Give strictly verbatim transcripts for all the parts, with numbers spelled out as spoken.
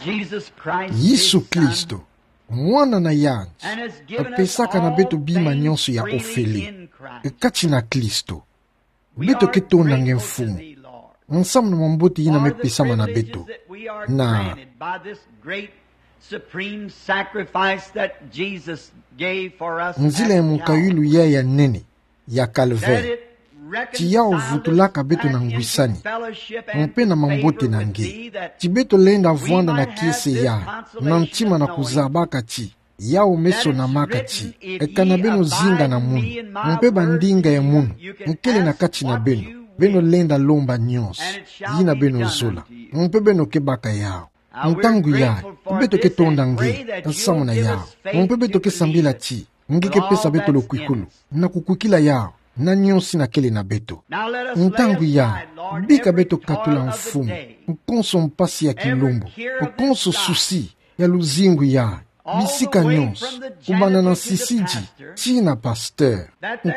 Jesus Christ, Yesu Kristo, Mwana na yandi, apesaka na beto bima nyonso ya ofele. Kati na Kristo, beto ke tonda nge Mfumu, nsamu na mambote yina mepesama na beto. Na nzila ya munkayulu ya ya nene ya Calvaire, ti yau vutulaka beto na ngwisani mpe na mambote na nge. Ti beto lenda vwanda na kiese ya, na ntima na kuzabaka ti yau mesonamaka ti, e kana beno zinga na munu, mpe bandinga ya munu nkele na kati na beno, beno lenda lomba nyonso yina beno zola, mpe beno ke baka yau. Ntangu yayi, beto ke tonda nge nsamu na yau, mpe beto ke sambila ti nge ke pesa beto lukwikulu na kukwikila yau na nyonso yina kele na beto. Ntangu yayi, bika beto katula Mfumu, konso mpasi ya kilumbu, konso susi ya luzingu yayi, bisika nyonso, kubanda na nsisidi tii na pasteur.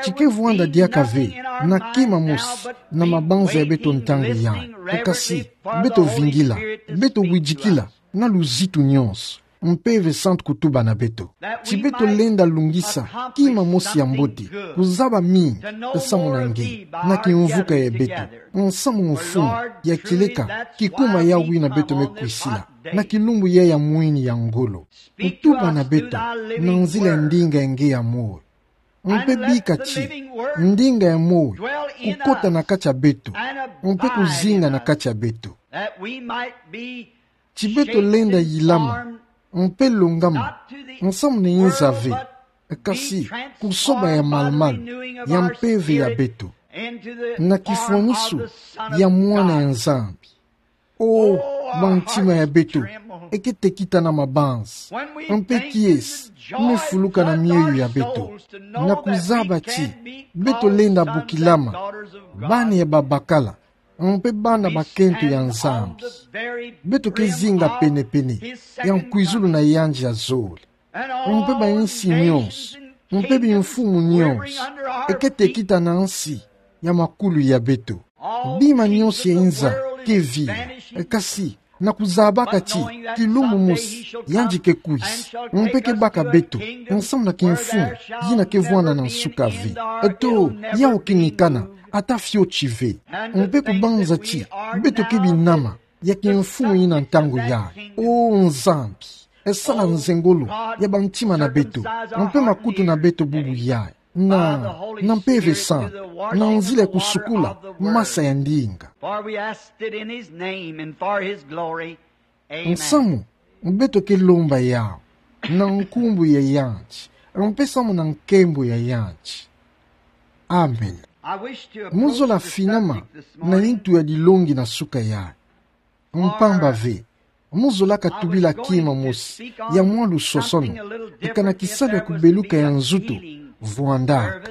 Ti ke vwanda diaka ve na kima mosi na mabanza ya beto ntangu yayi. Kasi beto vingila, beto widikila na luzitu nyonso, Mpeve Santu kutuba na beto. Ti beto lenda lungisa kima mosi ya mbote, kuzaba mingi nsamu na nge na kimvuka ya beto. Nsamu Mfumu, ya kieleka kikuma yawu yina beto mekwisila na kilumbu yayi ya mwini ya ngolo. Kutuba na beto na nzila ya ndinga ya nge ya moyo. Mpe bika ti ndinga ya moyo kukota na kati ya beto, mpe kuzinga na kati ya beto. Ti beto lenda yilama mpe longama nsamu na inza ve, kasi kusoba ya malumalu ya mpeve ya beto, na kifwanisu ya Mwana ya Nzambi. O, bantima ya beto e ke tekita na mabanza, mpe kiese mefuluka na mioyo ya beto, na kuzaba ti beto lenda bukilama bana ya babakala, mpe bana bakento ya Nzambi. Beto ke zinga penepene ya nkwizulu na yandi ya zole. Mpe bansi nyonso, mpe bimfumu nyonso e ke tekita na nsi ya makulu ya beto. Bima nyonso ya inza ke vila, kasi na kuzabaka ti kilumbu mosi yandi ke kwisa, mpe ke baka beto nsamu na kimfumu yina ke vwanda na nsuka ve. To, yawu ke nikana ata fioti ve. Mpe kubanza ti beto ke binama ya kimfumu yina ntangu yayi. O Nzambi, e sala nzengolo ya bantima na beto, mpe makutu na beto bubu yayi, na, na Mpeve Santu, na nzila ya kusukula masa ya ndinga. For we ask it in his name and for his glory. Amen. Nsamu, beto ke lomba yawu na nkumbu ya yandi, mpe samu na nkembo ya yandi. Amen. I wish to approach the subject this morning. Mu zola finama na yintu ya dilongi na suka yayi. Mpamba ve, mu zolaka tubila kima mosi ya mwa lusosono, e kana kisalu ya kubeluka ya nzutu vwandaka.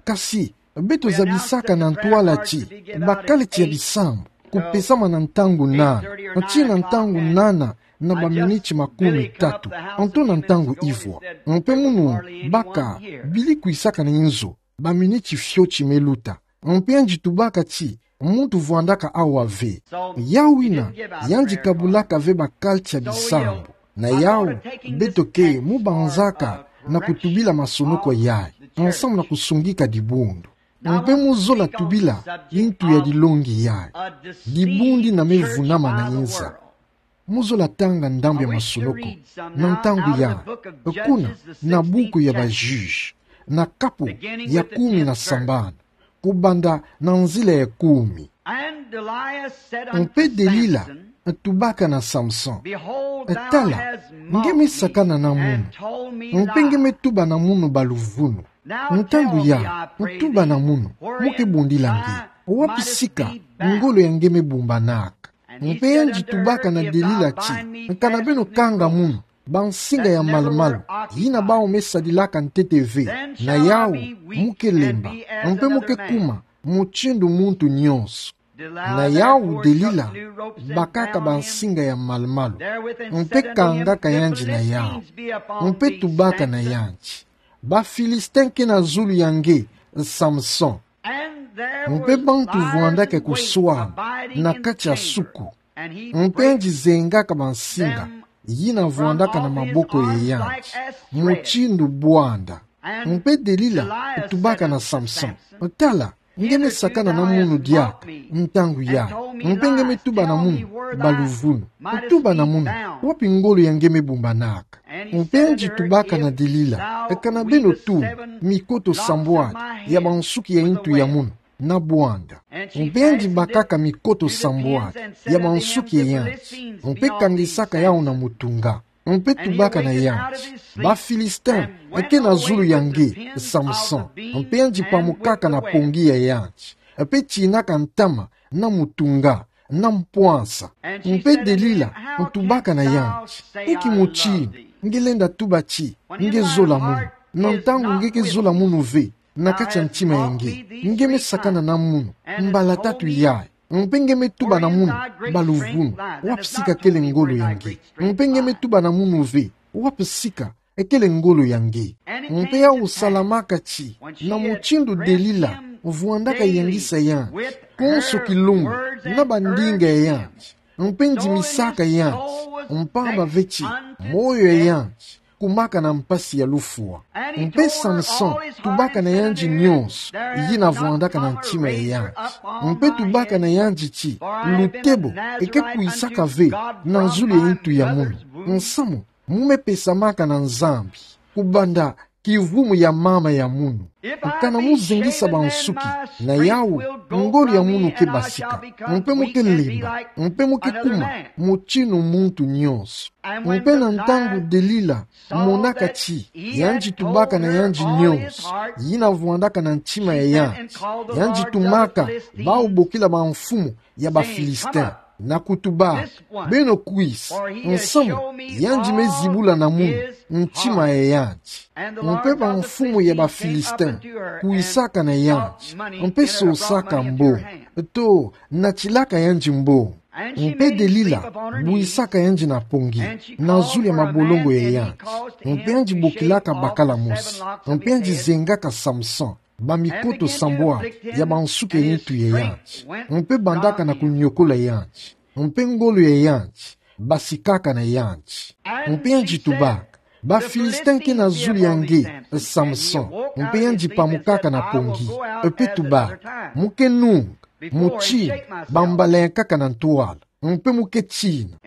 Kasi beto zabisaka na ntwala ti bakala tia bisambu kupesama na ntangu nana, tii na ntangu nana na baminiti makumi tatu, nto na ntangu ivwa. Mpe munu baka bili kwisaka na inzo baminiti fioti meluta. Mpe yandi tubaka ti muntu vwandaka awa ve. Yawu yina, yandi kabulaka ve bakala tia bisambu. Na yawu, beto ke mu banzaka na kutubila masonoko yayi, nsamu na kusungika dibundu. Mpe mu zola tubila yintu ya dilongi yayi: Dibundu yina me vunama na inza. Mu zola tanga ndambu ya masonoko na ntangu yayi, kuna na buku ya ba Juges, na kapu ya kumi na sambanu, kubanda na nzila ya kumi. Mpe Delila tubaka na Samson: Tala, nge me sakana na munu, mpe nge me tuba na munu baluvunu. Ntangu yayi, ntuba na munu, mu ke bundila nge, wapi sika ngolo ya nge me bumbanaka? Mpe yandi tubaka na Delila ti: Kana beno kanga munu bansinga ya malumalu yina bawu me sadilaka ntete ve, na yawu mu ke lemba, mpe mu ke kuma mutindu muntu nyonso. Na yawu Delila bakaka bansinga ya malumalu, mpe kangaka yandi na yawu, mpe tubaka na yandi: Ba Philistin ke na zulu ya nge, Samson. Mpe bantu vwandaka kuswama na kati ya suku, Mpe yandi zengaka bansinga yina vwandaka na maboko ya yandi, mutindu bwanda. Mpe Delila tubaka na Samson: Tala, nge me sakana na munu diaka ntangu yayi. Mpe nge me tuba na munu: Baluvunu. Tuba na munu: Wapi ngolo ya nge me bumbanaka? Mpe yandi tubaka na Delila: Kana beno tumbi mikoto sambwadi ya bansuki ya yintu ya munu na bwanda. Mpe yandi bakaka mikoto sambwadi ya bansuki ya yandi, mpe kangisaka yawu na mutunga. Mpe tubaka na yandi: Bafilistin ke na zulu ya nge, Samson. Mpe yandi pamukaka na pongi ya yandi, mpe tinaka ntama na mutunga na mpwansa. Mpe Delila tubaka na yandi: Nki mutindu nge lenda tuba ti nge zola munu, na ntangu nge ke zola munu ve na kati ya ntima ya nge? Nge me sakana na munu mbala tatu yayi, mpe nge me tuba na munu: Baluvunu. Wapi sika kele ngolo ya nge? Mpe nge me tuba na munu ve: Wapi sika kele ngolo ya nge? Mpe yawu salamaka ti, na mutindu Delila vwandaka yangisa yandi, konso kilumbu na bandinga ya yandi, mpe ndimisaka yandi, mpamba ve ti moyo ya yandi kumaka na mpasi ya lufwa. Mpe Samson tubaka na yandi nionso yina vwandaka na ntima ya yandi, mpe tubaka na yandi ti lutebo ke kwisaka ve na zulu ya yintu ya munu. Nsamu mu me pesamaka na Nzambi kubanda kivumu ya mama ya munu. Kana mu zengisa bansuki na yawu, ngolo ya munu ke basika, mpe mu ke lemba, mpe mu ke kuma mutindu muntu nionso. Mpe na ntangu Delila monaka ti yandi tubaka na yandi nionso yina vwandaka na ntima ya yandi, yandi tumaka bawu bokila bamfumu ya Bafilistin na kutuba: Beno kwisa, nsamu yandi me zibula na munu ntima ya yandi. Mpe bamfumu ya Bafilistin kwisaka na yandi, mpe sosaka mbongo, to natilaka yandi mbongo. Mpe Delila bwisaka yandi na pongi na zulu ya mabolongo ya yandi, mpe yandi bokilaka bakala mosi, mpe yandi zengaka Samson bamikoto sambwadi ya bansuki ya yintu ya yandi, mpe bandaka na kunyokola yandi, mpe ngolo ya yandi basikaka na yandi. Mpe yandi tubaka: Bafilistin ke na zulu ya nge, Samson. Mpe yandi pamukaka na pongi, mpe tubaka: Mu ke nunga, mutindu bambalengaka na ntwala, mpe mu ke tina.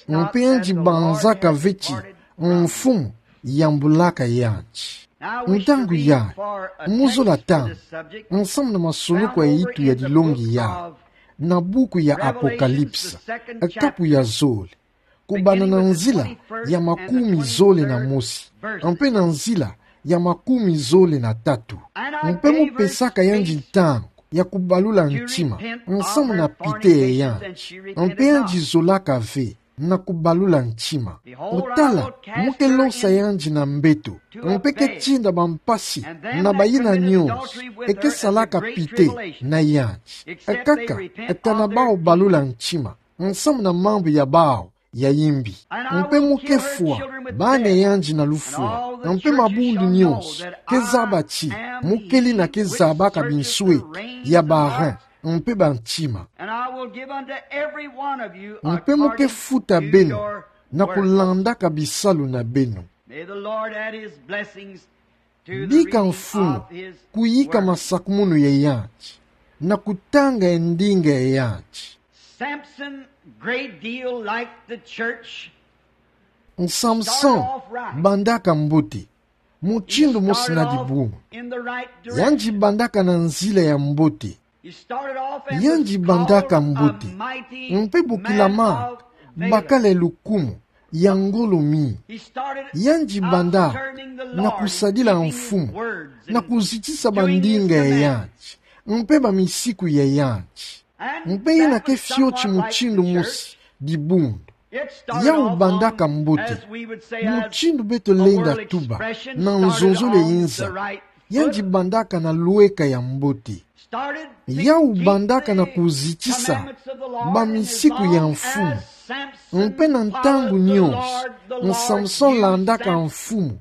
Mpe yandi banzaka ve ti mfumu yambulaka yandi. Ntangu yayi, mu zola ntangu, nsamu na masonoko ya yitu ya dilongi yayi na buku ya Apocalypse, kapu ya zole, kubanda na nzila ya makumi zole na mosi mpe na nzila ya makumi zole na tatu. Mpe mu pesaka yandi ntangu ya kubalula ntima, nsamu na pite ya yandi. Mpe yandi zolaka ve na kubalula ntima. Tala, mu ke losa yandi na mbeto, mpe ke tinda bampasi na bayina nionso ke salaka pite na yandi, kaka kana bawu balula ntima nsamu na mambu ya bawu ya yimbi. Mpe mu ke fwa bana ya yandi na lufwa, mpe mabundu nionso ke zaba ti mu ke lina ke zabaka binsweki ya ba rein mpe bantima. And I will give unto every one of you according to your work. Mpe mu ke futa beno na kulandaka bisalu na beno. May the Lord add his blessings to the reading of his word. Bika Mfumu kuyika masakumunu ya yandi na kutanga ya ndinga ya yandi. Samson, great deal like the church, Samson bandaka mbote, mutindu mosi na dibundu. Yandi bandaka na nzila ya mbote. Yandi bandaka mbote, mpe bokilamaka bakala lukumu ya ngolo mingi. Yandi banda na kusadila Mfumu, na kuzitisa bandinga ya yandi, mpe bamisiku ya yandi. Mpe yina ke fioti mutindu mosi dibundu. Yawu bandaka mbote, mutindu beto lenda tuba na nzonzolo ya inza. Yandi bandaka na lweka ya mbote. Yawu bandaka na kuzitisa bamisiku ya Mfumu. Mpe na ntangu nionso, Samson landaka Mfumu,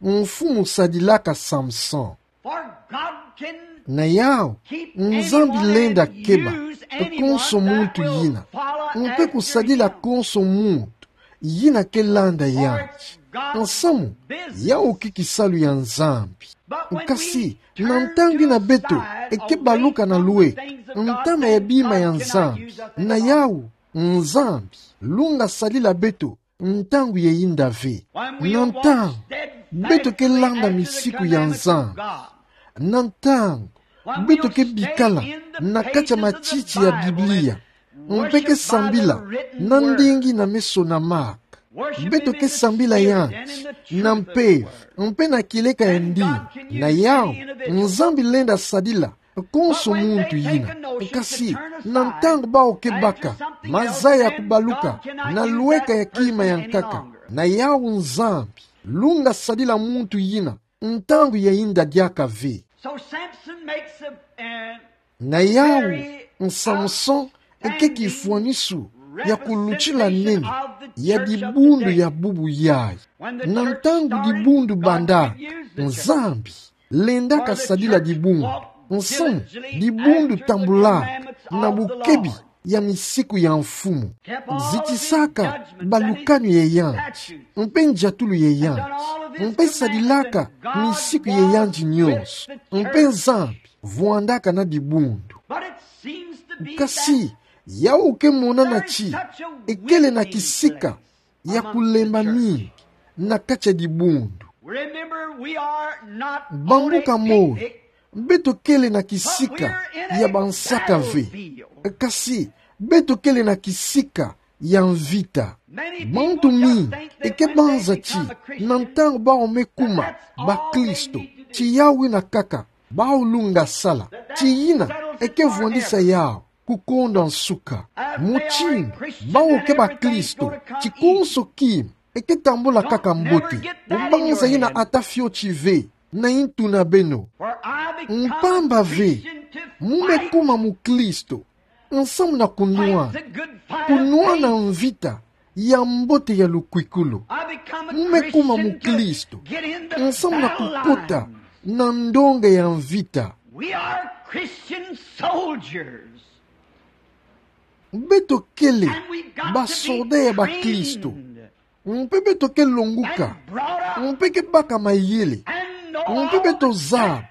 Mfumu sadilaka Samson. For God can Na yau, Nzambi lenda keba konso muntu yina, mpe kusadila konso muntu yina kelanda yandi. Nsamu, yau ki kisalu ya Nzambi. Kasi, na ntangu yina beto eke baluka na lweka ntama ya bima ya Nzambi, na yau, Nzambi lunga sadila beto ntangu ya yinda ve. Na ntangu beto kelanda misiku ya Nzambi, na ntangu beto kebikala na kati ya matiti ya Biblia, mpe kesambila na ndingi na meso na maka, beto kesambila yandi na mpeve mpe na kieleka ya ndingi, na yau, Nzambi lenda sadila konso muntu yina. Kasi, na ntangu bawu kebaka mazaya kubaluka na lweka ya kima ya nkaka, na yau, Nzambi lunga sadila muntu yina ntangu ya yinda diaka ve. So Samson makes a, a Na yau, Samson eke kifwanisu ya kulutila nene ya dibundu ya bubu yayi. Na ntangu dibundu banda, Nzambi lendaka sadila dibundu. Nsamu, dibundu tambula na bukebi ya misiku ya mfumu, zitisaka balukani ya yandi mpe ndiatulu ya yandi, mpe sadilaka misiku ya yandi nyonso, mpe Nzambi vwandaka na dibundu. But it seems to be Kasi, that yau kemonana ti ekele na kisika ya kulemba mingi na kati ya dibundu. Remember, we are not Bambuka on a moi, picnic, beto kele na kisika ya bansaka ve. Kasi, beto kele na kisika ya mvita. Bantu mingi eke banza ti na ntangu bawu me kuma bakristo, ti yawu yina kaka bawu lunga sala, ti yina eke vwandisa yawu kukonda nsuka. Mutindu bawu ke bakristo, ti konso kima eke tambula kaka mbote. Kubanza yina ata fioti ve na yintu na beno. Mpamba ve, mu me kuma mukristo nsamu na kunwana, kunwana mvita ya mbote ya lukwikulu. Mu me kuma mukristo nsamu na kukota na ndonga ya mvita. We are Christian soldiers. Beto kele basoda ya bakristo. Mpe beto ke longuka, mpe ke baka mayele, mpe beto zaba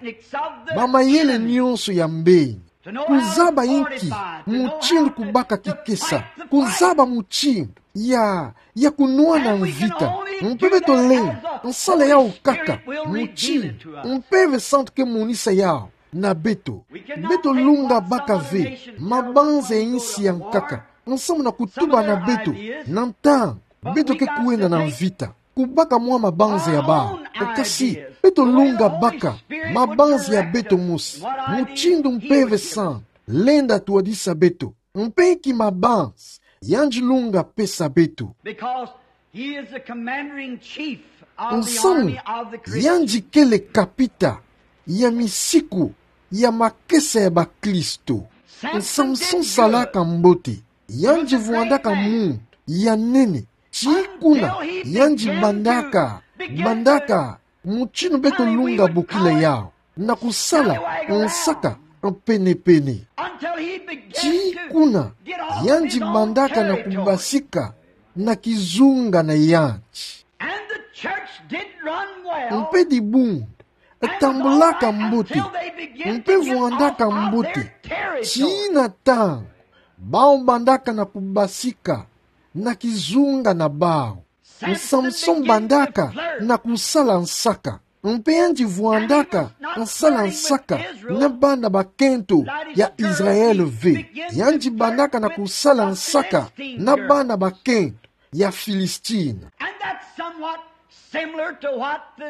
bamayele nyonso ya mbeni. Kuzaba inki mutindu kubaka kikesa, kuzaba mutindu ya, ya kunwana mvita. Mpe beto lenda sala yawu kaka mutindu Mpeve Santu ke monisa yawu na beto. Beto lunga baka ve mabanza ya insi ya nkaka nsamu na kutuba na beto na ntangu beto ke kwenda na mvita. Kubaka mwa mabanza ya bawu. Kasi, beto lunga baka mabanza ya beto mosi, mutindu Mpeve Santu lenda twadisa beto. Mpe inki mabanza yandi lunga pesa beto? Because he is the commander in chief of the Nsamu, army of the Christians. Yandi kele kapita ya misiku ya makesa ya bakristo. Samson salaka mbote, yandi vwandaka muntu ya nene, ti kuna yandi bandaka, bandaka mutindu beto lunga bokila yawu, na kusala nsaka pene-pene. Ti kuna yandi bandaka na kubasika na kizunga na yandi. Mpe dibundu tambulaka mbote, mpe vwandaka mbote, tii na ntangu bawu bandaka na kubasika na kizunga na bawu. Samson bandaka na kusala nsaka, mpe yandi vwandaka sala nsaka na bana bakento ya Israel ve. Yandi bandaka na kusala nsaka na bana bakento ya Filistina.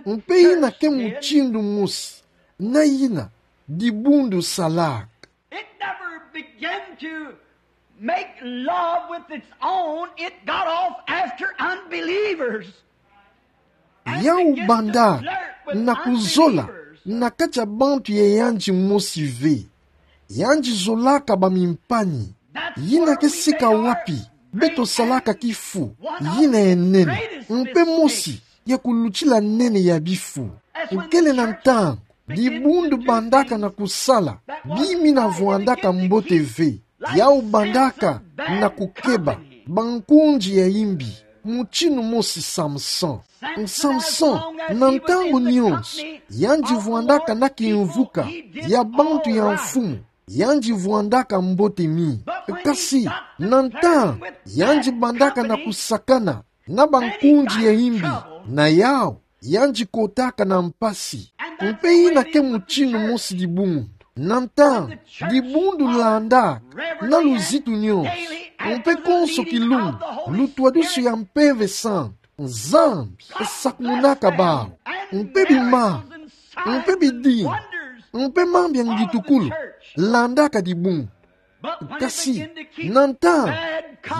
Mpe yina ke mutindu mosi na yina dibundu salaka. It never began to make love with its own. It got off after unbelievers. Yawu banda na kuzola na kati ya bantu ya yandi mosi ve. Yandi zolaka bamimpani. Yina ke sika wapi beto salaka kifu yina ya nene, mpe mosi ya kulutila nene ya bifu. Kele na ntangu Dibundu bandaka na kusala bima ina vwandaka mbote ve. Yau bandaka na kukeba bankundi ya imbi, mutinu mosi Samson. Samson, na ntangu nyonso, yandi vwandaka na kimvuka ya bantu ya mfumu, yandi vwandaka mbote mingi. Kasi, na ntangu yandi bandaka na kusakana na bankundi ya imbi, na yau yandi kotaka na mpasi. Mpe ina ke mutinu mosi dibundu. Na ntangu, dibundu landaka na luzitu nyonso, mpe konso kilumbu, lutwadusu ya Mpeve Santu, Nzambi sakumunaka bau. Mpe bima, mpe bidimbu, mpe mambu ya ngitukulu landaka dibundu. Kasi, na ntangu,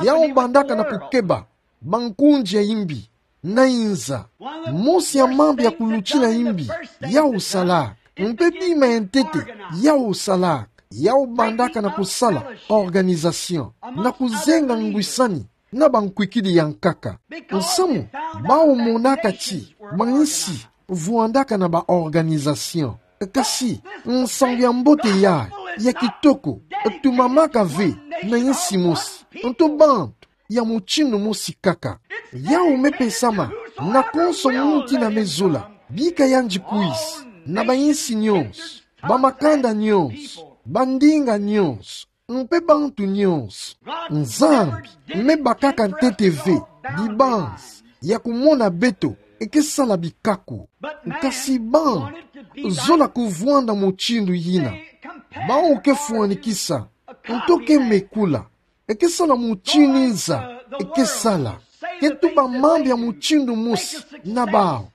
yau bandaka na kukeba bankundi ya imbi, na inza. Mosi ya mambu ya kulutila imbi yau salaka, mpe bima ya ntete yau salaka, yau bandaka na kusala organisation, na kuzenga ngwisani na bankwikidi ya nkaka. Nsamu, bau monaka ti bainsi vwandaka na ba organisation. Kasi, nsangu ya mbote yayi ya kitoko tumamaka ve na insi mosi nto bantu ya mutinu mosi kaka. Yau mepesama na konso muntu ina mezola bika yandi kwisa na bainsi nyonso, bamakanda nyonso, bandinga nyonso, mpe bantu nyonso. Nzambi mebakaka ntete ve dibanzi ya kumona beto ke sala bikako. Kasi bantu zola kuvwanda mutindu yina. Bau ke fwanikisa nto ke mekula ke sala mutindu inza ke sala. Ke tuba mambu ya mutindu mosi na bau,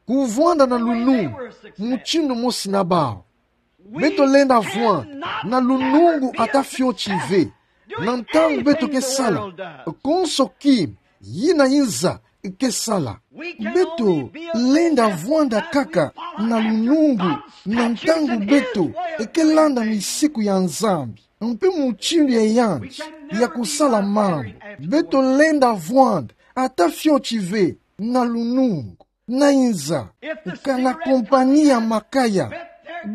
kuvwanda na lunungu mutindu mosi na bau. Beto lenda vwanda na lunungu ata fioti ve na ntangu beto ke sala konso kima yina inza ke sala. Beto lenda vwanda kaka na lunungu na ntangu beto ke landa misiku ya Nzambi mpe mutindu ya yandi ya kusala mambu. Beto lenda vwanda ata fioti ve na lunungu na inza. Kana kompani ya makaya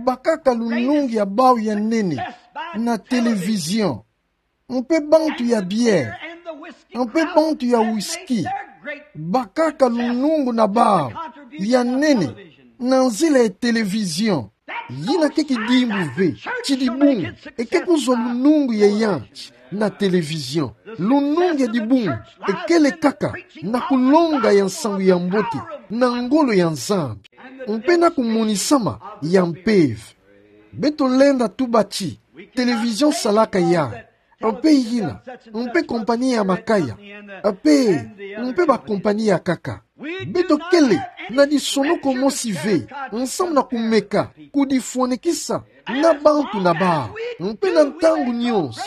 bakaka lunungu ya bau ya nene na télévision, mpe bantu ya bière, mpe bantu ya whisky bakaka lunungu na bau ya nene na nzila ya télévision. Yina ke kidimbu ve ti dibundu ke kuzwa lunungu ya yandi na télévision. Lunungu ya dibundu kele kaka na kulonga ya nsangu ya mbote na ngolo ya Nzambi mpe na kumonisama ya mpeve. Beto lenda tuba ti télévision salaka yayi, mpe yina, mpe kompani ya makaya, mpe, mpe bakompani ya nkaka. Beto kele na disonoko mosi ve nsamu na kumeka kudifwanikisa na bantu na bau. Mpe na ntangu nyonso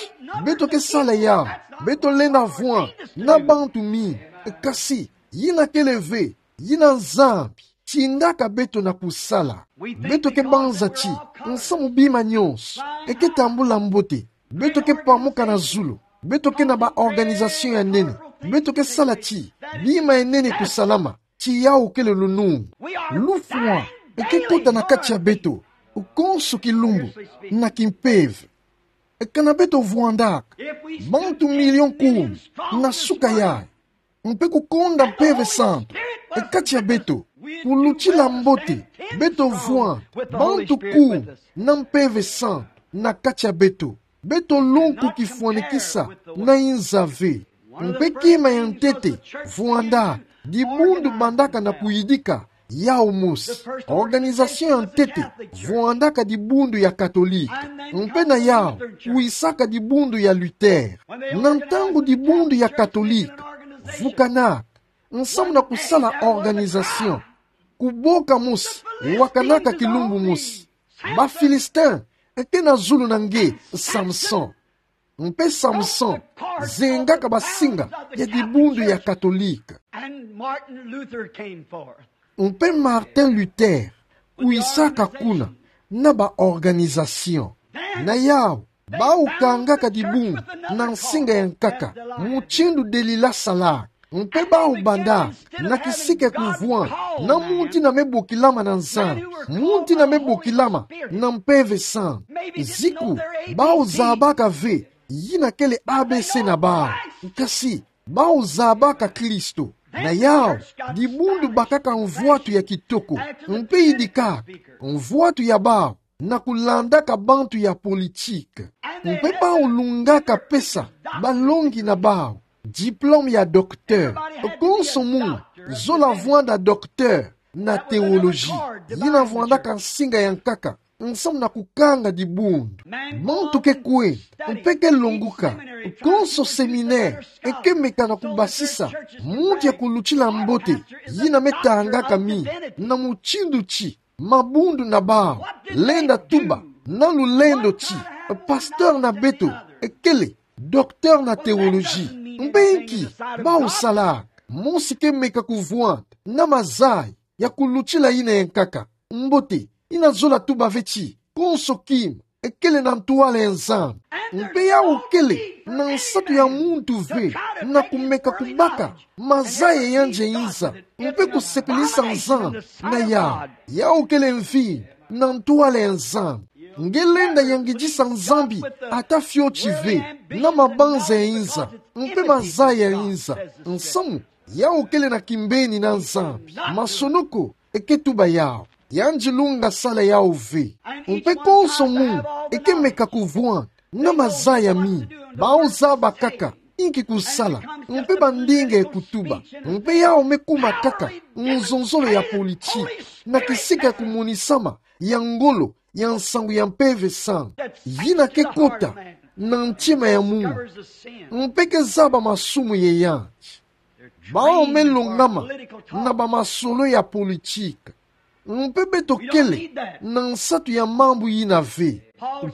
beto ke sala yawu, beto lenda vwanda na bantu mingi. Kasi yina kele ve yina Nzambi tindaka beto na kusala. Beto ke banza ti nsamu bima nyonso ke tambula mbote. Beto ke pamuka na zulu. Beto ke na ba organisation ya nene. Beto ke sala ti bima ya nene kusalama. Ti yawu kele lunungu. Lufwa ke kota na kati ya beto konso kilumbu na kimpeve. Kana beto vwandaka bantu million kumi na suka yayi, mpe kukonda Mpeve Santu kati ya beto, kulutila mbote, beto vwanda bantu kumi na Mpeve Santu na kati ya beto. Beto longo kifwanikisa na inza ve. Mpe kima ya ntete vwandaka dibundu bandaka na kuyidika yawu mosi. Organisation ya ntete vwandaka dibundu ya Katolika. Mpe na yawu kwisaka dibundu ya Luther. Na ntangu dibundu ya Katolika vukanaka nsamu na kusala organisation, kuboka mosi wakanaka kilumbu mosi. Ba Philistin ke na zulu na nge Samson. Mpe Samson zengaka basinga ya dibundu ya Katolika. And Martin Luther came forth. Mpe Martin Luther kwisaka kuna na ba organisation. Na yawu, bawu kangaka dibundu na nsinga ya nkaka, mutindu Delila salaka. Mpe bau banda, na kisika kuvwanda, na munti na mebokilama na Nzambi, munti na mebokilama na Mpeve Santu. Ziku, bau zabaka ve, yina kele A B C na bau. Kasi, bau zabaka Kristo. Na yau, dibundu bakaka mvwatu ya kitoko. Mpe yidikaka, mvwatu ya bau, na kulandaka bantu ya politike. Mpe bau lungaka pesa, balongi na bau, diplôme ya docteur. Konso muntu, zola vwanda docteur, na théologie. Yina vwandaka nsinga ya nkaka, nsamu na kukanga dibundu. Muntu ke kwenda, mpe ke longoka, konso séminaire, e ke meka na kubasisa, muntu ya kulutila mbote, yina metangaka mi, na mutindu ti, mabundu na bau, lenda tuba, na lulendo ti, pasteur na beto, e kele, docteur na théologie, mpe inki, bau salaka, mosi ke meka kuvwanda, na mazaya, ya kulutila yina ya nkaka, mbote, yina zola tuba ve ti, konso kima, e kele na ntwala ya Nzambi. Mpe yau kele, na nsatu ya muntu ve, na kumeka kubaka, mazaya yandi ya inza, mpe kusepelisa Nzambi, na yau, yau kele mvinyo, na ntwala ya Nzambi. Nge lenda yangidisa Nzambi, ata fioti ve, na mabanza ya inza, mpe mazaya ya inza, nsamu, yau kele na kimbeni na Nzambi. Masonoko, e ke tuba yau. Yandi lunga sala yau ve. Mpe konso muntu, e ke meka kuvwanda, na mazaya mingi. Bau zaba kaka, inki kusala, mpe bandinga ya kutuba. Mpe yau mekuma kaka, nzonzolo ya politike. Na kisika kumonisama, ya ngolo, ya nsangu ya Mpeve Santu. Yina ke kota, na ntima ya muntu. Mpe ke zaba masumu ya yandi. Bau melongama na bamasolo ya politike. Mpe beto kele na nsatu ya mambu yina ve.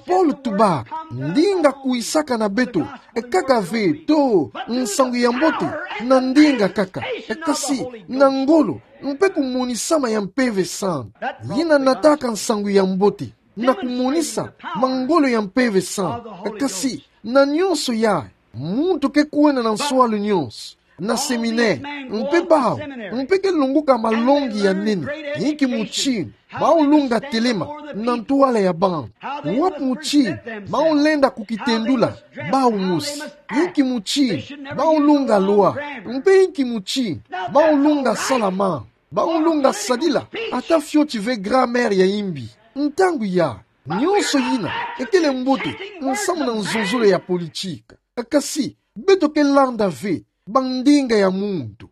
Paulo tuba, ndinga kwisaka na beto, e kaka ve to nsangu ya mbote, na ndinga kaka, e kasi na ngolo, mpe kumonisama ya Mpeve Santu. Yina nataka nsangu ya mbote, na kumonisa mangolo ya Mpeve Santu, e kasi na nyonso ya, muntu ke kwenda na nswalu nyonso, na séminaire, mpe bau, mpe ke longoka malongi ya nene, inki mutindu bau lunga telema na ntwala ya bantu. Wapi mutindu bau lenda kukitendula bau mosi. Inki mutindu bau lunga loi, mpe inki mutindu bau lunga sala mambu. Bau lunga sadila, ata fioti ve grammaire ya imbi. Ntangu ya, nyonso yina, e kele mbote, nsamu na nzonzolo ya politike. Kasi, beto ke landa ve bandinga ya muntu.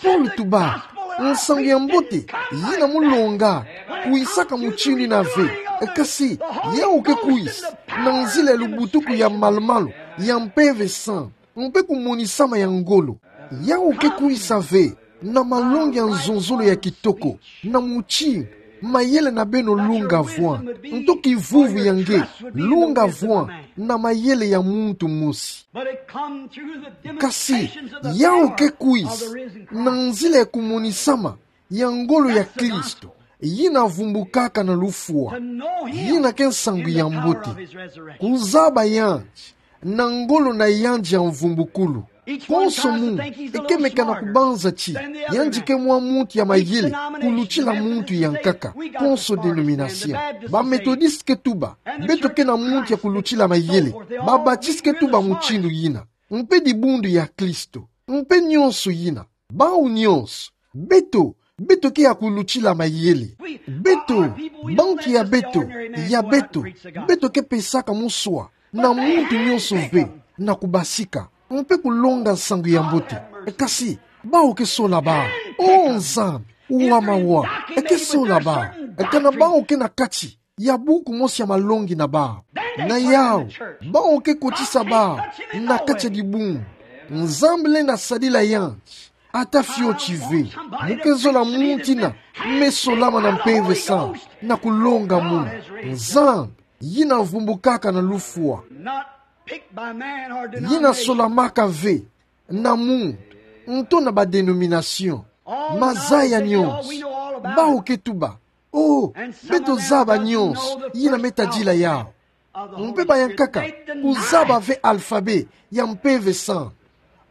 Paulo tuba, nsangu ya mbote, yina molonga, kwisaka mutindu yina ve. Kasi, yau ke kwisa, na nzila ya lubutuku ya malumalu, ya Mpeve Santu, mpe kumonisama ya ngolo. Yau ke kwisa ve, na malongi ya nzonzolo ya kitoko, na mutindu mayele na beno lunga vwanda, nto kivuvu ya nge, lunga vwanda, na mayele ya muntu mosi. Kasi, yau ke kwisa, na nzila ya kumonisama ya ngolo ya Kristo, yina vumbukaka na lufwa, yina ke nsangu ya mbote. Kuzaba yandi, na ngolo na yandi ya mvumbukulu. Konso muntu, e ke meka na kubanza ti, yandi ke mwa muntu ya mayele, kulutila muntu ya nkaka, konso dénomination. Ba Méthodistes ke tuba, beto ke na muntu ya kulutila mayele, ba Baptistes ke tuba mutindu yina. Mpe dibundu ya Kristo, mpe nyonso yina. Bau nyonso, beto, beto ke ya kulutila mayele. Beto, bantu ya beto, ya beto, beto ke pesaka muswa, na muntu nyonso ve, na kubasika, mpe kulonga nsangu ya mbote. Kasi, bau ke sola bau. O Nzambi, wa mawa, e ke sola bau. Kana bau ke na kati ya buku mosi ya malongi na bau. Na yau, bau ke kotisa bau na kati ya dibundu. Nzambi lenda sadila yandi, ata fioti ve. Mu ke zola muntu yina me solama na Mpeve Santu, na kulonga munu. Nzambi, yina vumbukaka na lufwa. Yina solamaka ve na muntu, nto na ba dénomination. Mazaya nyonso, bau ke tuba. O, beto zaba nyonso yina me tadila yau. Mpe ba ya nkaka, kuzaba ve alphabet ya Mpeve Santu.